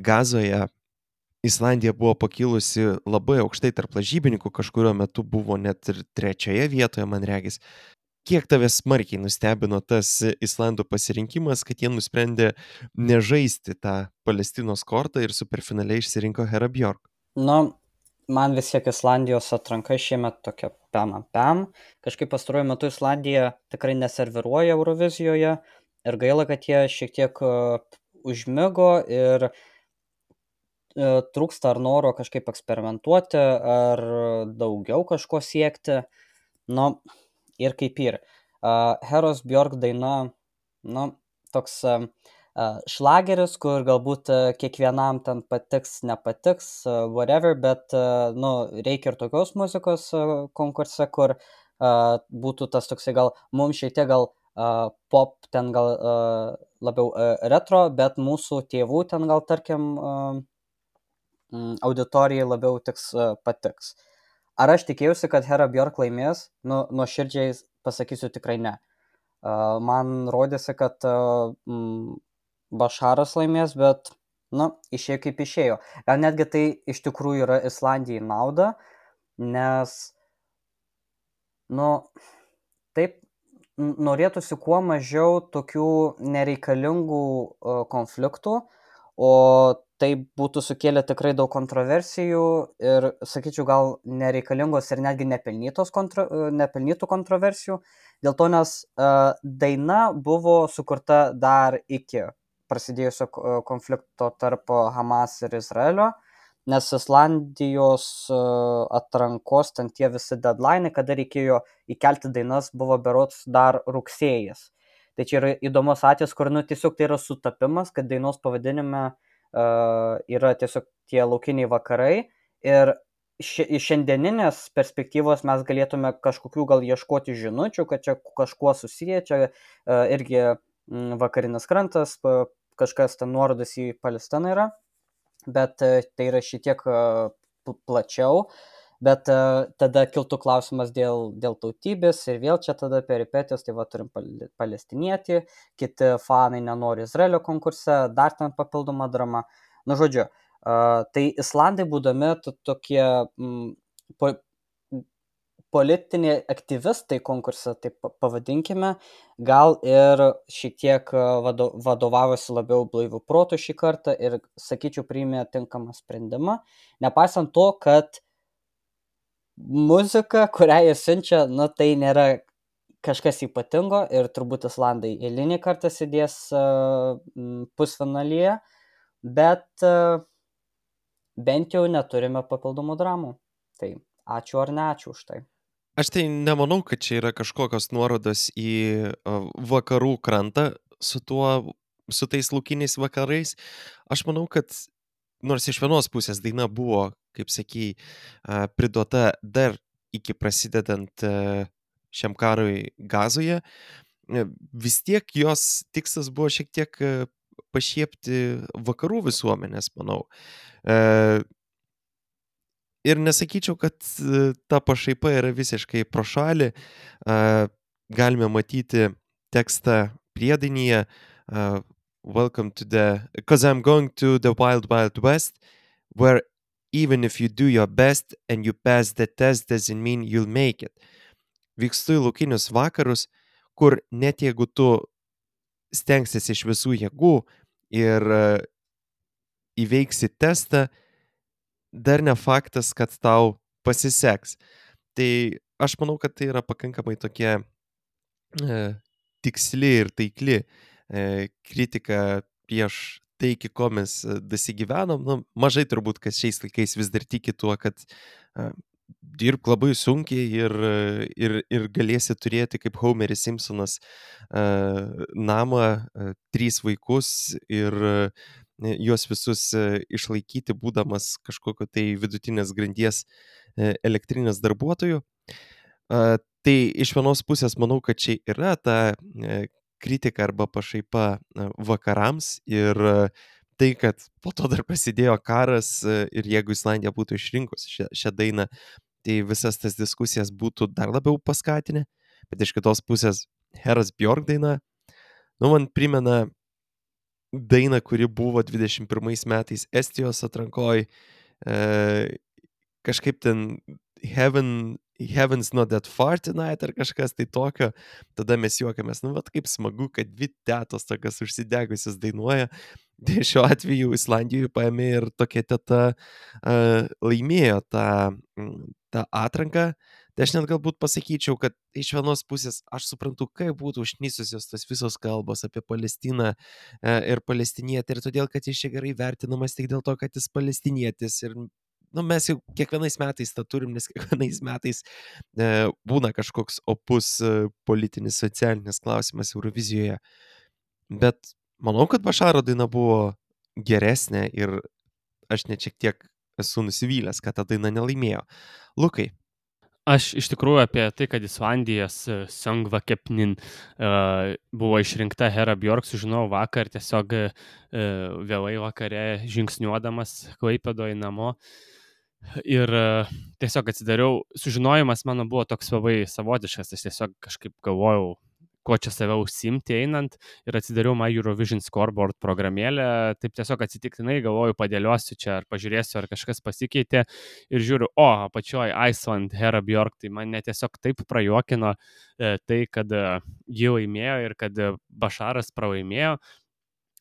Speaker 1: Gazoje, Islandija buvo pakilusi labai aukštai tarp lažybininkų, kažkurio metu buvo net ir trečioje vietoje, man regis. Kiek tave smarkiai nustebino tas Islandų pasirinkimas, kad jie nusprendė nežaisti tą Palestinos kortą ir superfinaliai išsirinko Hera Björk?
Speaker 5: Nu, man vis tiek Islandijos atranka šiemet tokia pem ant pem. Kažkaip pastaruoju metu Islandija tikrai neserviruoja Eurovizijoje ir gaila, kad jie šiek tiek uh, užmigo ir uh, trūksta ar noro kažkaip eksperimentuoti, ar daugiau kažko siekti. Nu, ir kaip ir. Uh, Heros Björk daina, nu, toks uh, uh, šlageris, kur galbūt uh, kiekvienam ten patiks, nepatiks, uh, whatever, bet, uh, nu, reikia ir tokios muzikos uh, konkurse, kur uh, būtų tas toksai gal, mums šiek tiek gal uh, pop, ten gal uh, labiau uh, retro, bet mūsų tėvų ten gal, tarkim, uh, mm, auditorijai labiau tiks, uh, patiks. Ar aš tikėjausi, kad Hera Björk laimės? Nu, nuoširdžiai pasakysiu tikrai ne. Uh, man rodėsi, kad uh, mm, Basharas laimės, bet, nu, išėjo kaip išėjo. Gal netgi tai iš tikrųjų yra Islandijai nauda, nes, nu, taip, n- norėtųsi kuo mažiau tokių nereikalingų uh, konfliktų, o tai būtų sukėlę tikrai daug kontroversijų ir, sakyčiau, gal nereikalingos ir netgi nepelnytos kontro, uh, nepelnytų kontroversijų. Dėl to, nes uh, daina buvo sukurta dar iki prasidėjusio uh, konflikto tarp Hamas ir Izraelio, nes Islandijos uh, atrankos, ten tie visi deadline, kada reikėjo įkelti dainas, buvo berods dar rugsėjas. Tai čia yra įdomus atvejis, kur, nu, tiesiog tai yra sutapimas, kad dainos pavadinime uh, yra tiesiog tie laukiniai vakarai ir ši- iš šiandieninės perspektyvos mes galėtume kažkokių gal ieškoti žinučių, kad čia kažkuo susiję, čia uh, irgi mm, vakarinis krantas, pa- kažkas ten nuorodas į Palestiną yra, bet uh, tai yra šitiek uh, pl- plačiau, bet uh, tada kiltų klausimas dėl, dėl tautybės ir vėl čia tada peripetijos, tai va turim pal- palestinietį, kiti fanai nenori Izraelio konkurse, dar ten papildoma drama. Nu, žodžiu, uh, tai Islandai būdami to- tokie mm, po, politiniai aktyvistai konkurse, taip pa- pavadinkime, gal ir šiek tiek uh, vado, vadovavosi labiau blaivių protų šį kartą ir, sakyčiau, priėmė tinkamą sprendimą, nepaisant to, kad muzika, kurią jie siunčia, nu, tai nėra kažkas ypatingo ir turbūt Islandai eilinį kartą sėdės uh, mm, pusfinalyje, bet uh, bent jau neturime papildomų dramų. Tai ačiū ar ne ačiū už tai.
Speaker 1: Aš tai nemanau, kad čia yra kažkokios nuorodos į a, vakarų krantą su tuo su tais laukiniais vakarais. Aš manau, kad nors iš vienos pusės daina buvo, kaip sakei, a, priduota dar iki prasidedant a, šiam karui Gazoje, e, vis tiek jos tikslas buvo šiek tiek e, pašiepti vakarų visuomenės, manau. E, Ir nesakyčiau, kad e, ta pašaipa yra visiškai pro šalį. A, Galime matyti tekstą priedainyje. a, Welcome to the... Because I'm going to the wild, wild west, where even if you do your best and you pass the test, doesn't mean you'll make it. Vykstu į laukinius vakarus, kur net jeigu tu stengsiesi iš visų jėgų ir e, įveiksi testą, dar ne faktas, kad tau pasiseks. Tai aš manau, kad tai yra pakankamai tokia e, tiksli ir taikli e, kritika prieš tai, iki ko mes e, dasigyvenom. Nu, mažai turbūt, kas šiais laikais vis dar tiki tuo, kad e, dirbk labai sunkiai ir, e, ir, ir galėsi turėti, kaip Homeris Simpsonas, e, namą, e, trys vaikus ir e, juos visus e, išlaikyti, būdamas kažkokio tai vidutinės grandies e, elektrinės darbuotojų. A, Tai iš vienos pusės manau, kad čia yra ta e, kritika arba pašaipa e, vakarams ir e, tai, kad po to dar prasidėjo karas e, ir jeigu Islandija būtų išrinkus šią, šią dainą, tai visas tas diskusijas būtų dar labiau paskatinę. Bet iš kitos pusės Heras Bjork daina, nu, man primena dainą, kuri buvo dvidešimt pirmais metais Estijos atrankoj, e, kažkaip ten Heaven, Heaven's not that far tonight ar kažkas tai tokio, tada mes juokiamės, nu, vat kaip smagu, kad dvi tetos tokias užsidegusios dainuoja. Tai šiuo atveju Islandijoje paėmė ir tokia teta uh, laimėjo tą, tą atranką. Tai aš net galbūt pasakyčiau, kad iš vienos pusės aš suprantu, kaip būtų užknisusios tas visos kalbos apie Palestiną uh, ir palestinietį, ir todėl, kad jis čia gerai vertinamas tik dėl to, kad jis palestinietis. Ir nu, mes jau kiekvienais metais tą turim, nes kiekvienais metais e, būna kažkoks opus e, politinis, socialinis klausimas Eurovizijoje. Bet manau, kad Bašaro daina buvo geresnė ir aš net šiek tiek esu nusivylęs, kad ta daina nelaimėjo. Lukai.
Speaker 4: Aš iš tikrųjų apie tai, kad Islandijos e, Songva Kepnin uh, buvo išrinkta Hera Bjork, sužinojau vakar, tiesiog uh, vėlai vakare žingsniuodamas Klaipėdoje namo. Ir uh, tiesiog atsidariau, sužinojimas mano buvo toks labai savotiškas, aš tiesiog kažkaip galvojau, kuo čia save užsimti einant, ir atsidariau My Eurovision Scoreboard programėlę, taip tiesiog atsitiktinai galvoju, padėliosiu čia, ar pažiūrėsiu, ar kažkas pasikeitė, ir žiūriu, o, apačioje Iceland, Hera Bjork, tai mane tiesiog taip prajuokino e, tai, kad e, ji laimėjo ir kad e, Bašaras pralaimėjo.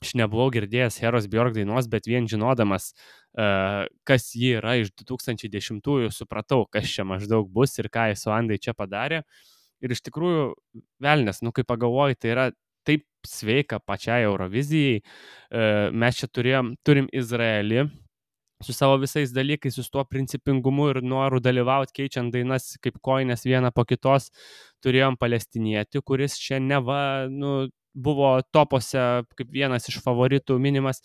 Speaker 4: Aš nebuvau girdėjęs Heros Bjork dainos, bet vien žinodamas, uh, kas ji yra iš du tūkstančiai dešimtųjų, supratau, kas čia maždaug bus ir ką Islandai čia padarė. Ir iš tikrųjų, velnės, nu kaip pagalvoju, tai yra taip sveika pačiai Eurovizijai. Uh, mes čia turėjom, turim Izraelį su savo visais dalykais, su tuo principingumu ir noru dalyvauti, keičiant dainas kaip kojines vieną po kitos. Turėjom palestinietį, kuris čia neva, nu, buvo topose kaip vienas iš favoritų minimas.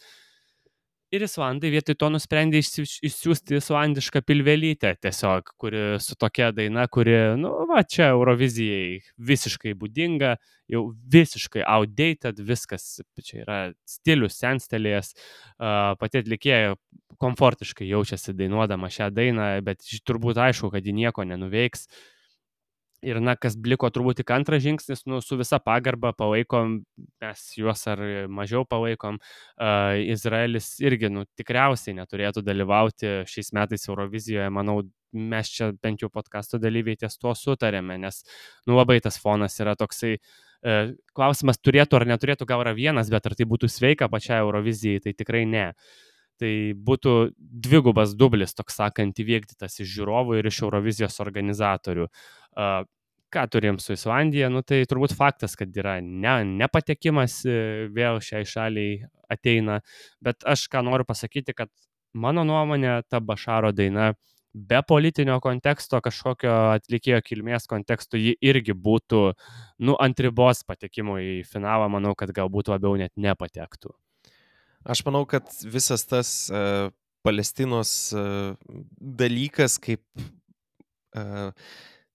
Speaker 4: Ir Islandai vietoj to nusprendė išsiųsti islandišką pilvelytę tiesiog, kuri su tokia daina, kuri, nu, va, čia Eurovizijai visiškai būdinga, jau visiškai outdated, viskas, čia yra stilius senstelėjęs, pati atlikėja komfortiškai jaučiasi dainuodama šią dainą, bet turbūt aišku, kad ji nieko nenuveiks. Ir, na, kas liko turbūt tik antras žingsnis, nu, su visa pagarba palaikom, mes juos ar mažiau palaikom. Uh, Izraelis irgi, nu, tikriausiai neturėtų dalyvauti šiais metais Eurovizijoje. Manau, mes čia bent jau podcasto dalyviai ties tuo sutarėme, nes, nu, labai tas fonas yra toksai. Uh, klausimas turėtų ar neturėtų, gal yra vienas, bet ar tai būtų sveika pačiai Eurovizijai, tai tikrai ne. Tai būtų dvigubas dublis, toks sakant, įvykdytas iš žiūrovų ir iš Eurovizijos organizatorių. Uh, ką turim su Islandija? Nu, tai turbūt faktas, kad yra ne, nepatekimas vėl šiai šaliai ateina, bet aš ką noriu pasakyti, kad mano nuomonė, ta Bašaro daina be politinio konteksto, kažkokio atlikėjo kilmės konteksto, ji irgi būtų, nu, ant ribos patekimo į finalą, manau, kad galbūt labiau net nepatektų.
Speaker 1: Aš manau, kad visas tas uh, Palestinos uh, dalykas, kaip uh,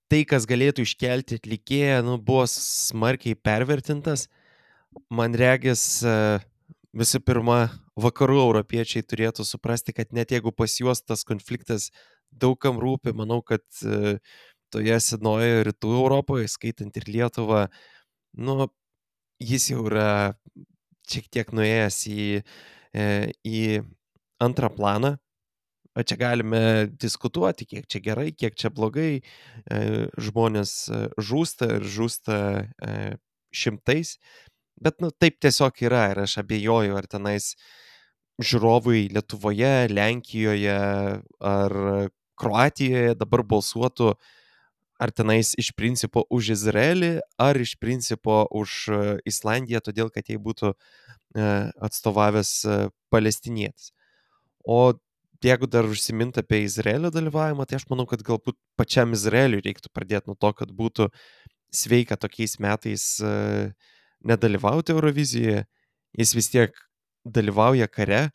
Speaker 1: tai, kas galėtų iškelti atlikėją, nu, buvo smarkiai pervertintas. Man regis, uh, visų pirma, vakarų europiečiai turėtų suprasti, kad net jeigu pas juos tas konfliktas daugam rūpi, manau, kad uh, toje senojoje rytų Europoje, skaitant ir Lietuvą, nu, jis jau yra šiek tiek nuėjęs į, į antrą planą. O čia galime diskutuoti, kiek čia gerai, kiek čia blogai. Žmonės žūsta ir žūsta šimtais. Bet nu, taip tiesiog yra ir aš abejoju, ar tenais žiūrovai Lietuvoje, Lenkijoje ar Kroatijoje dabar balsuotų ar tenais iš principo už Izraelį, ar iš principo už Islandiją, todėl kad jai būtų atstovavęs palestinietis. O jeigu dar užsimint apie Izraelio dalyvavimą, tai aš manau, kad galbūt pačiam Izraeliui reiktų pradėti nuo to, kad būtų sveika tokiais metais nedalyvauti Eurovizijoje. Jis vis tiek dalyvauja kare,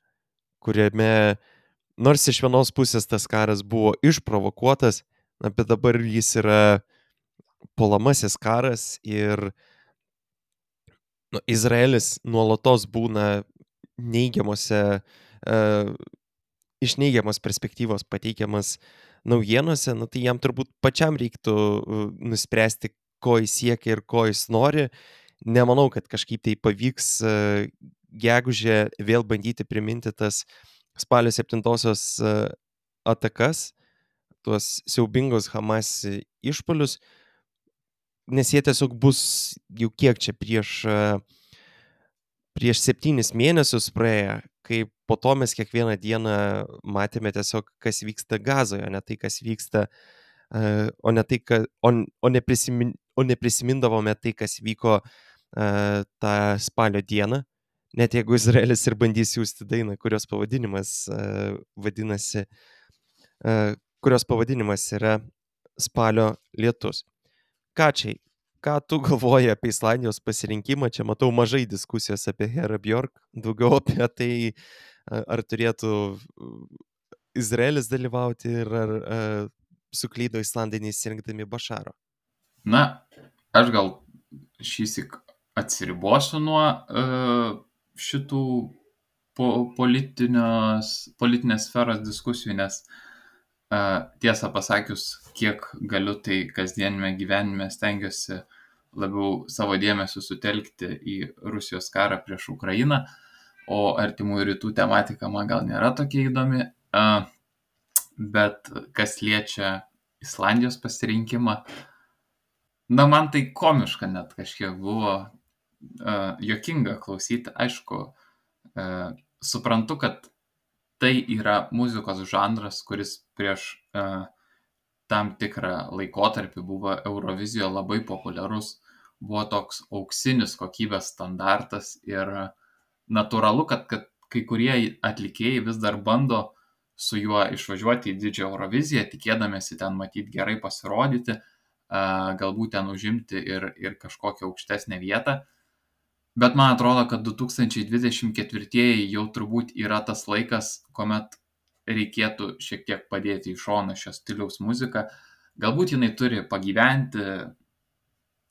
Speaker 1: kuriame, nors iš vienos pusės tas karas buvo išprovokuotas, na, bet dabar jis yra puolamasis karas ir nu, Izraelis nuolatos būna neigiamose, uh, iš neigiamos perspektyvos pateikiamas naujienose, nu, tai jam turbūt pačiam reiktų uh, nuspręsti, ko jis siekia ir ko jis nori. Nemanau, kad kažkaip tai pavyks uh, gegužę vėl bandyti priminti tas spalio septintosios uh, atakas, tuos siaubingus Hamas išpolius, nes jie tiesiog bus jau kiek čia prieš, prieš septynis mėnesius praėję, kai po to mes kiekvieną dieną matėme tiesiog, kas vyksta Gazoje, o ne tai, kas vyksta, o ne, tai, ka, o, o neprisimin, o neprisimindavome tai, kas vyko tą spalio dieną, net jeigu Izraelis ir bandys siųsti dainą, kurios pavadinimas vadinasi kurios pavadinimas yra Spalio lietus. Kačiai, ką tu galvoji apie Islandijos pasirinkimą? Čia matau mažai diskusijos apie Herą Björk, daugiau apie tai, ar turėtų Izraelis dalyvauti ir ar, ar suklydo Islandai nesirinkdami Bašaro.
Speaker 2: Na, aš gal šįsyk atsiribosiu nuo uh, šitų po, politinės sferos diskusijų, nes Uh, tiesą pasakius, kiek galiu, tai kasdienime gyvenime stengiuosi labiau savo dėmesį sutelkti į Rusijos karą prieš Ukrainą, o artimųjų rytų tematika man gal nėra tokia įdomi, uh, bet kas liečia Islandijos pasirinkimą, na, man tai komiška net kažkiek buvo, uh, juokinga klausyti. Aišku, uh, suprantu, kad tai yra muzikos žanras, kuris prieš uh, tam tikrą laikotarpį buvo Eurovizijoje labai populiarus, buvo toks auksinis kokybės standartas ir natūralu, kad, kad kai kurie atlikėjai vis dar bando su juo išvažiuoti į didžiąją Euroviziją, tikėdamėsi ten matyti gerai pasirodyti, uh, galbūt ten užimti ir, ir kažkokią aukštesnę vietą. Bet man atrodo, kad du tūkstančiai dvidešimt ketvirtieji jau turbūt yra tas laikas, kuomet reikėtų šiek tiek padėti į šoną šios stiliaus muziką. Galbūt jinai turi pagyventi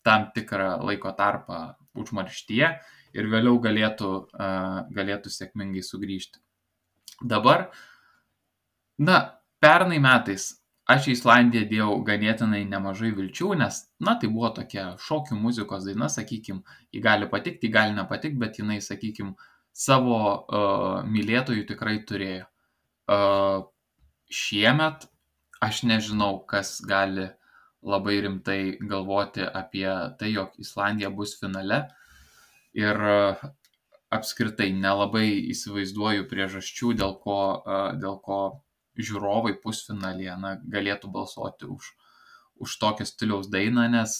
Speaker 2: tam tikrą laiko tarpą užmarštyje ir vėliau galėtų, uh, galėtų sėkmingai sugrįžti. Dabar, na, pernai metais aš į Islandiją dėjau ganėtinai nemažai vilčių, nes, na, tai buvo tokia šokių muzikos daina, sakykim, ji gali patikti, ji gali nepatikti, bet jinai, sakykim, savo uh, mylėtojų tikrai turėjo. Uh, šiemet aš nežinau, kas gali labai rimtai galvoti apie tai, jog Islandija bus finale ir uh, apskritai nelabai įsivaizduoju priežasčių, dėl ko, uh, dėl ko žiūrovai pusfinalyje na, galėtų balsuoti už, už tokią stiliaus dainą, nes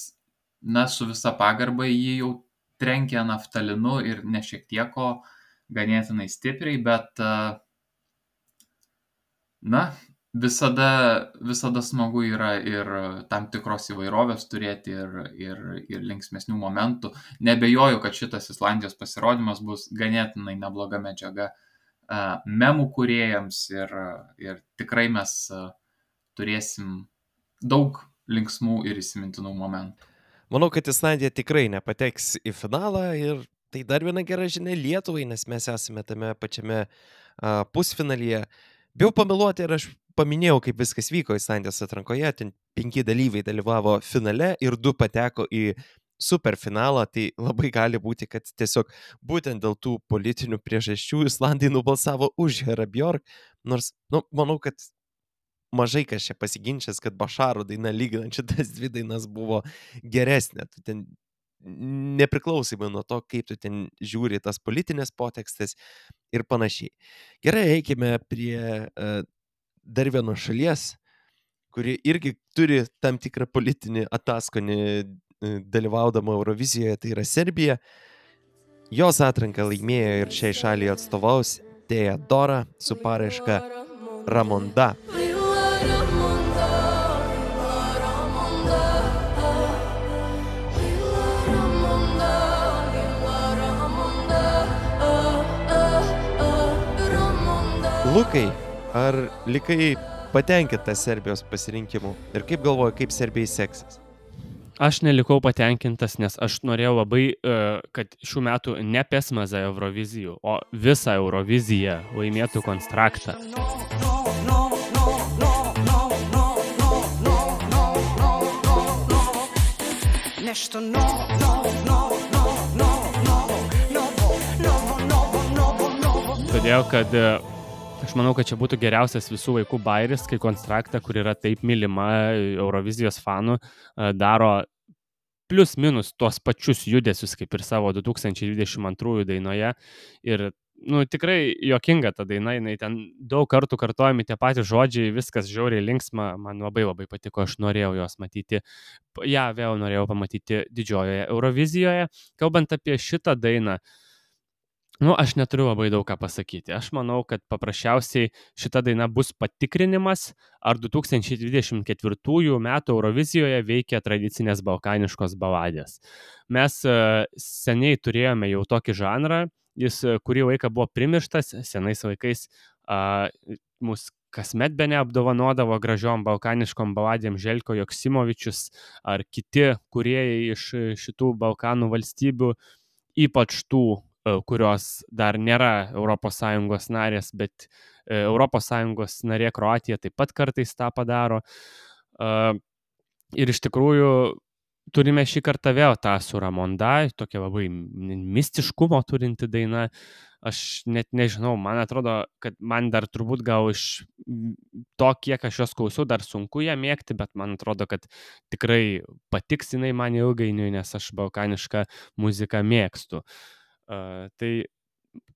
Speaker 2: na, su visa pagarba jį jau trenkia naftalinu ir ne šiek tiek ganėtinai stipriai, bet na, visada, visada smagu yra ir tam tikros įvairovės turėti ir, ir, ir linksmesnių momentų. Nebejoju, kad šitas Islandijos pasirodymas bus ganėtinai nebloga medžiaga a, memų kūrėjams ir, ir tikrai mes a, turėsim daug linksmų ir įsimintinų momentų.
Speaker 1: Manau, kad Islandija tikrai nepateks į finalą ir tai dar viena gera žinia Lietuvai, nes mes esame tame pačiame a, pusfinalyje. Bijau pameluoti ir aš paminėjau, kaip viskas vyko Islandijos atrankoje. Ten penki dalyviai dalyvavo finale ir du pateko į superfinalą. Tai labai gali būti, kad tiesiog būtent dėl tų politinių priežasčių Islandai nubalsavo už Herą Bjork. Nors, nu, manau, kad mažai kas čia pasiginčęs, kad Bašaro daina lyginant šitas dvi dainas buvo geresnė. Tu ten nepriklausomai nuo to, kaip tu ten žiūri tas politinės potekstės ir panašiai. Gerai, eikime prie uh, dar vienos šalies, kuri irgi turi tam tikrą politinį ataskonį uh, dalyvaudama Eurovizijoje, tai yra Serbija. Jos atranką laimėjo ir šiai šaliai atstovaus Teodora su paraiška Ramonda. Lukai, ar likai patenkintas Serbijos pasirinkimu ir kaip galvoji, kaip Serbijai seksis?
Speaker 4: Aš nelikau patenkintas, nes aš norėjau labai, e, kad šių metų ne Pesmazą Eurovizijų, o visą Euroviziją laimėtų Konstraktą.
Speaker 7: Nešto novo, novo, novo, novo, novo, novo, novo, novo, novo, novo, novo.
Speaker 4: Todėl, kad e, aš manau, kad čia būtų geriausias visų laikų bairis, kai Konstraktą, kur yra taip mylima Eurovizijos fanų, e, daro plius minus tuos pačius judesius, kaip ir savo du tūkstančiai dvidešimt antrųjų dainoje. Ir, nu, tikrai juokinga ta daina, jinai ten daug kartų kartojami tie patys žodžiai, viskas žiauriai linksma, man labai labai patiko, aš norėjau jos matyti. Ja, vėl norėjau pamatyti didžiojoje Eurovizijoje. Kalbant apie šitą dainą, nu, aš neturiu labai daug ką pasakyti. Aš manau, kad paprasčiausiai šita daina bus patikrinimas, ar du tūkstančiai dvidešimt ketvirtųjų metų Eurovizijoje veikia tradicinės balkaniškos baladės. Mes e, seniai turėjome jau tokį žanrą, jis e, kurį laiką buvo primirštas, senais laikais a, mus kasmet bene apdovanodavo gražiom balkaniškom baladėm Željko Joksimovičius ar kiti kūrėjai iš šitų Balkanų valstybių, ypač tų, kurios dar nėra Europos Sąjungos narės, bet Europos Sąjungos narė Kroatija taip pat kartais tą padaro. Ir iš tikrųjų turime šį kartą vėl tą su Ramonda, tokia labai mistiškumo turinti daina. Aš net nežinau, man atrodo, kad man dar turbūt gal iš to, kiek aš jos klausiau, dar sunku ją mėgti, bet man atrodo, kad tikrai patiks jinai man ilgainiui, nes aš balkanišką muziką mėgstu. Uh, tai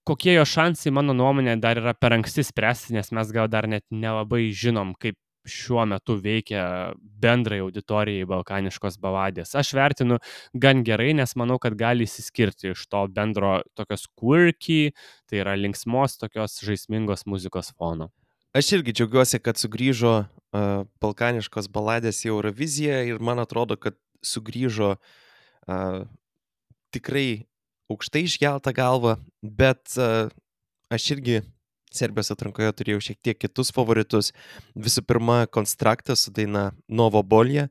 Speaker 4: kokie jo šansai, mano nuomonė, dar yra per anksti spręsti, nes mes gal dar net nelabai žinom, kaip šiuo metu veikia bendrai auditorijai balkaniškos baladės. Aš vertinu gan gerai, nes manau, kad gali įsiskirti iš to bendro tokios quirky, tai yra linksmos tokios žaismingos muzikos fono.
Speaker 1: Aš irgi džiaugiuosi, kad sugrįžo uh, balkaniškos baladės į Euroviziją ir man atrodo, kad sugrįžo uh, tikrai aukštai iškeltą galvą, bet uh, aš irgi Serbijos atrankoje turėjau šiek tiek kitus favoritus. Visų pirma, Konstraktas su daina Novo Bolje.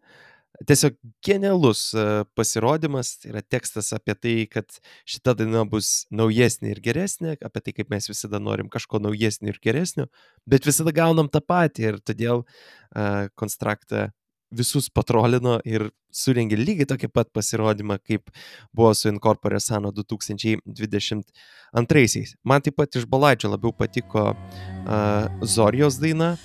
Speaker 1: Tiesiog genialus uh, pasirodymas, tai yra tekstas apie tai, kad šita daina bus naujesnė ir geresnė, apie tai, kaip mes visada norim kažko naujesnio ir geresnio, bet visada gaunam tą patį ir todėl uh, Konstraktą visus patrolino ir surengė lygiai tokį pat pasirodymą, kaip buvo su Incorpore Sano du tūkstančiai dvidešimt antraisiais. Man taip pat iš baladžių labiau patiko uh, Zorijos daina.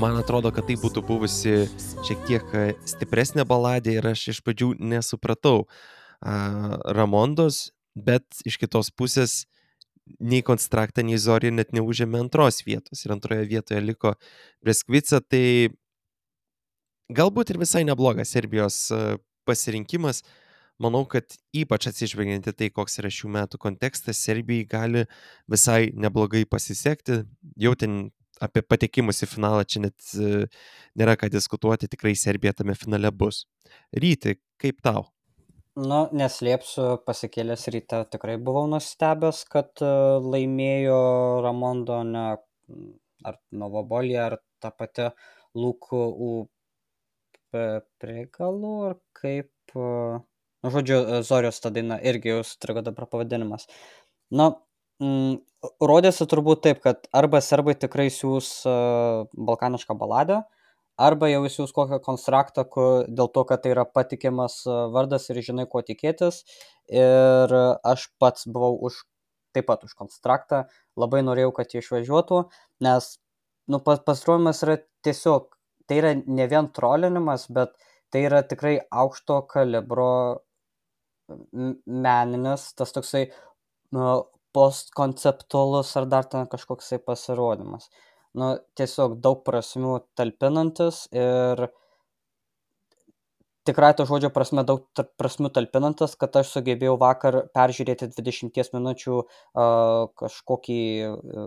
Speaker 1: Man atrodo, kad tai būtų buvusi šiek tiek stipresnė baladė ir aš iš pradžių nesupratau uh, Ramondos, bet iš kitos pusės nei Konstrakta, nei Zorija net neužėmė antros vietos ir antroje vietoje liko Breskvica, tai galbūt ir visai neblogas Serbijos e, pasirinkimas. Manau, kad ypač atsižvelgiant į tai, koks yra šių metų kontekstas, Serbijai gali visai neblogai pasisekti. Jau ten apie patekimus į finalą čia net e, nėra ką diskutuoti, tikrai Serbija tame finale bus. Ryti, kaip tau?
Speaker 5: Nu, neslėpsiu, pasikėlęs ryte tikrai buvau nustebęs, kad e, laimėjo Ramondo, ne mm, ar Novobolija, ar ta pati Lukų Prigalų, ar kaip, e, nu, žodžiu, e, Zorijos ta daina, irgi jau sutrigo dabar pavadinimas. Na, mm, rodėsi turbūt taip, kad arba serbai tikrai siūs e, balkanišką baladę, arba jau įsiūs kokią konstraktą, kur, dėl to, kad tai yra patikimas e, vardas ir žinai, ko tikėtis. Ir aš pats buvau už, taip pat už konstraktą, labai norėjau, kad jie išvažiuotų, nes nu, pas, pastaruojimas yra tiesiog, tai yra ne vien trolinimas, bet tai yra tikrai aukšto kalibro m- meninis, tas toksai nu, postkonceptualus ar dar ten kažkoksai pasirodymas. Nu, tiesiog daug prasmių talpinantis ir tikrai to žodžio prasme daug ta- prasmių talpinantis, kad aš sugebėjau vakar peržiūrėti dvidešimties minučių a, kažkokį, a,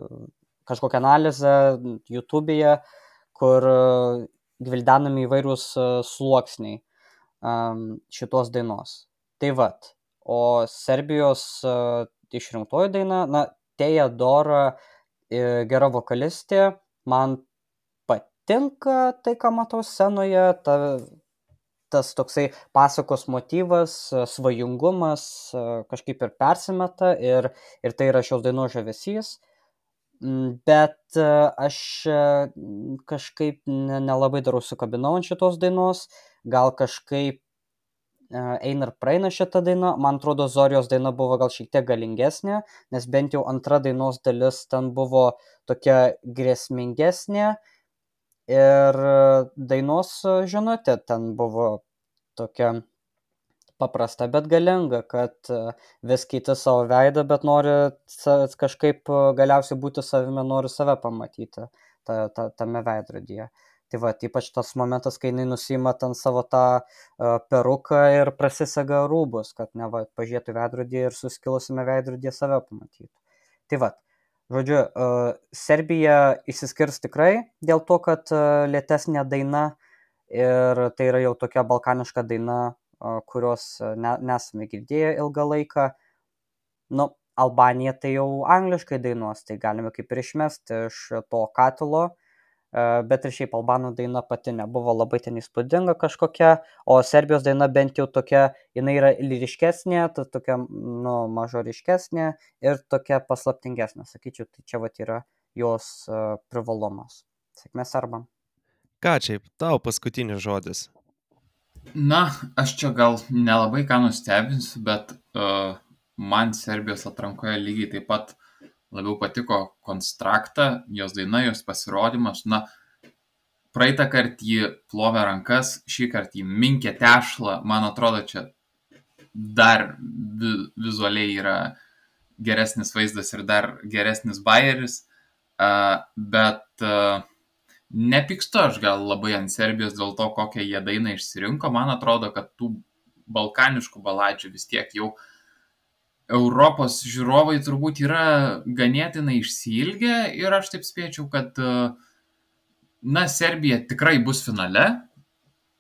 Speaker 5: kažkokią analizę YouTube'e, kur a, gvildenami įvairūs a, sluoksniai am, šitos dainos. Tai vat, o Serbijos a, išrinktoji daina, na, Teja Dora, e, gera vokalistė, man patinka tai, ką matau scenoje, ta, tas toksai pasakos motyvas, e, svajingumas e, kažkaip ir persimeta ir, ir tai yra šios dainos žavesys. Mm, Bet e, aš e, m, kažkaip ne- nelabai dar užsikabinau ant šitos dainos, gal kažkaip e, eina ir praeina šitą dainą. Man atrodo, Zorijos daina buvo gal šiek tiek galingesnė, nes bent jau antra dainos dalis ten buvo tokia grėsmingesnė ir e, dainos e, žinutė ten buvo tokia paprasta, bet galinga, kad e, vis keiti savo veidą, bet nori sa- kažkaip e, galiausiai būti savimi, nori save pamatyti ta, ta, tame veidrodyje. Tai va, ypač tas momentas, kai jinai nusima ten savo tą uh, peruką ir prasisega rūbus, kad ne va, pažiūrėtų į veidrodį ir suskilusime veidrodyje save pamatytų. Tai va, žodžiu, uh, Serbija išsiskirs tikrai dėl to, kad uh, lėtesnė daina ir tai yra jau tokia balkaniška daina, uh, kurios uh, ne, nesame girdėję ilgą laiką. Nu, Albanija tai jau angliškai dainuos, tai galime kaip ir išmesti iš to katilo. E, Bet ir šiaip albanų daina pati nebuvo labai ten įspūdinga kažkokia, o Serbijos daina bent jau tokia, jinai yra lyriškesnė, ta tokia, nu, mažoriškesnė ir tokia paslaptingesnė, sakyčiau, tai čia vat yra jos e, privalumas. Sėkmės serbam.
Speaker 1: Ką čia, tau paskutinis žodis?
Speaker 2: Na, aš čia gal nelabai ką nustebinsiu, bet uh, man Serbijos atrankoje lygiai taip pat labiau patiko konstraktą, jos daina, jos pasirodymas. Na, praeitą kartą jį plovė rankas, šį kartą jį minkė tešlą. Man atrodo, čia dar vi vizualiai yra geresnis vaizdas ir dar geresnis bajeris. Uh, bet uh, nepykstu aš gal labai ant Serbijos dėl to, kokią jie dainą išsirinko. Man atrodo, kad tų balkaniškų baladžių vis tiek jau Europos žiūrovai turbūt yra ganėtinai išsiilgę ir aš taip spėčiau, kad uh, na, Serbija tikrai bus finale,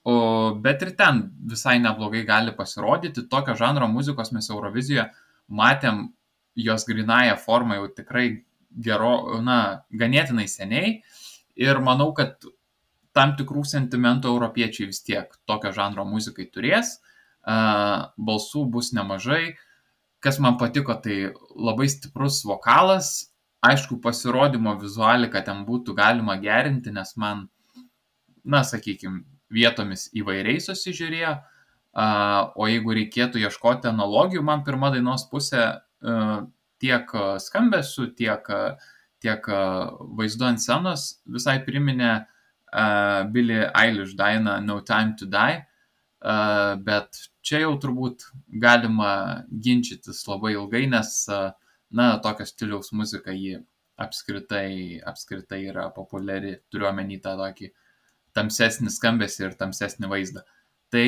Speaker 2: o, bet ir ten visai neblogai gali pasirodyti. Tokio žanro muzikos mes Eurovizijoje matėm jos grynąją formą jau tikrai gero, na, ganėtinai seniai. Ir manau, kad tam tikrų sentimentų europiečiai vis tiek tokio žanro muzikai turės. Uh, balsų bus nemažai. Kas man patiko, tai labai stiprus vokalas. Aišku, pasirodymo vizualiką ten būtų galima gerinti, nes man, na, sakykime, vietomis įvairiai susižiūrėjo. Uh, o jeigu reikėtų ieškoti analogijų, man pirma dainos pusė uh, tiek skambesiu, tiek, tiek vaizdu ant scenos visai priminė uh, Billie Eilish dainą No Time to Die. Uh, bet čia jau turbūt galima ginčytis labai ilgai, nes, uh, na, tokio stiliaus muzika ji apskritai, apskritai yra populiari, turiu omeny tą tokį tamsesnį skambesį ir tamsesnį vaizdą. Tai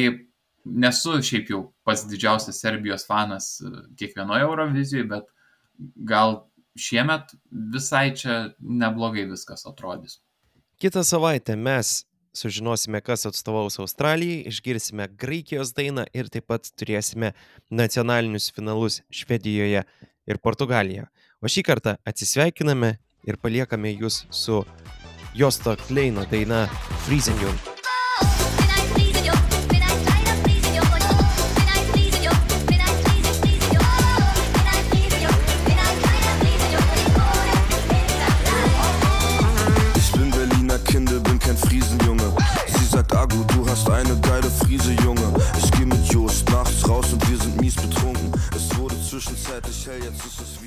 Speaker 2: nesu šiaip jau pats didžiausias Serbijos fanas kiekvienoje Eurovizijoje, bet gal šiemet visai čia neblogai viskas atrodys.
Speaker 1: Kitą savaitę mes sužinosime, kas atstovaus Australijai, išgirsime Graikijos dainą ir taip pat turėsime nacionalinius finalus Švedijoje ir Portugalijoje. O šį kartą atsisveikiname ir paliekame jūs su Josto Kleino daina Freezing You.
Speaker 8: Agu, du hast eine geile Friese, Junge. Ich geh mit Jost nachts raus und wir sind mies betrunken. Es wurde zwischenzeitlich hell, jetzt ist es wie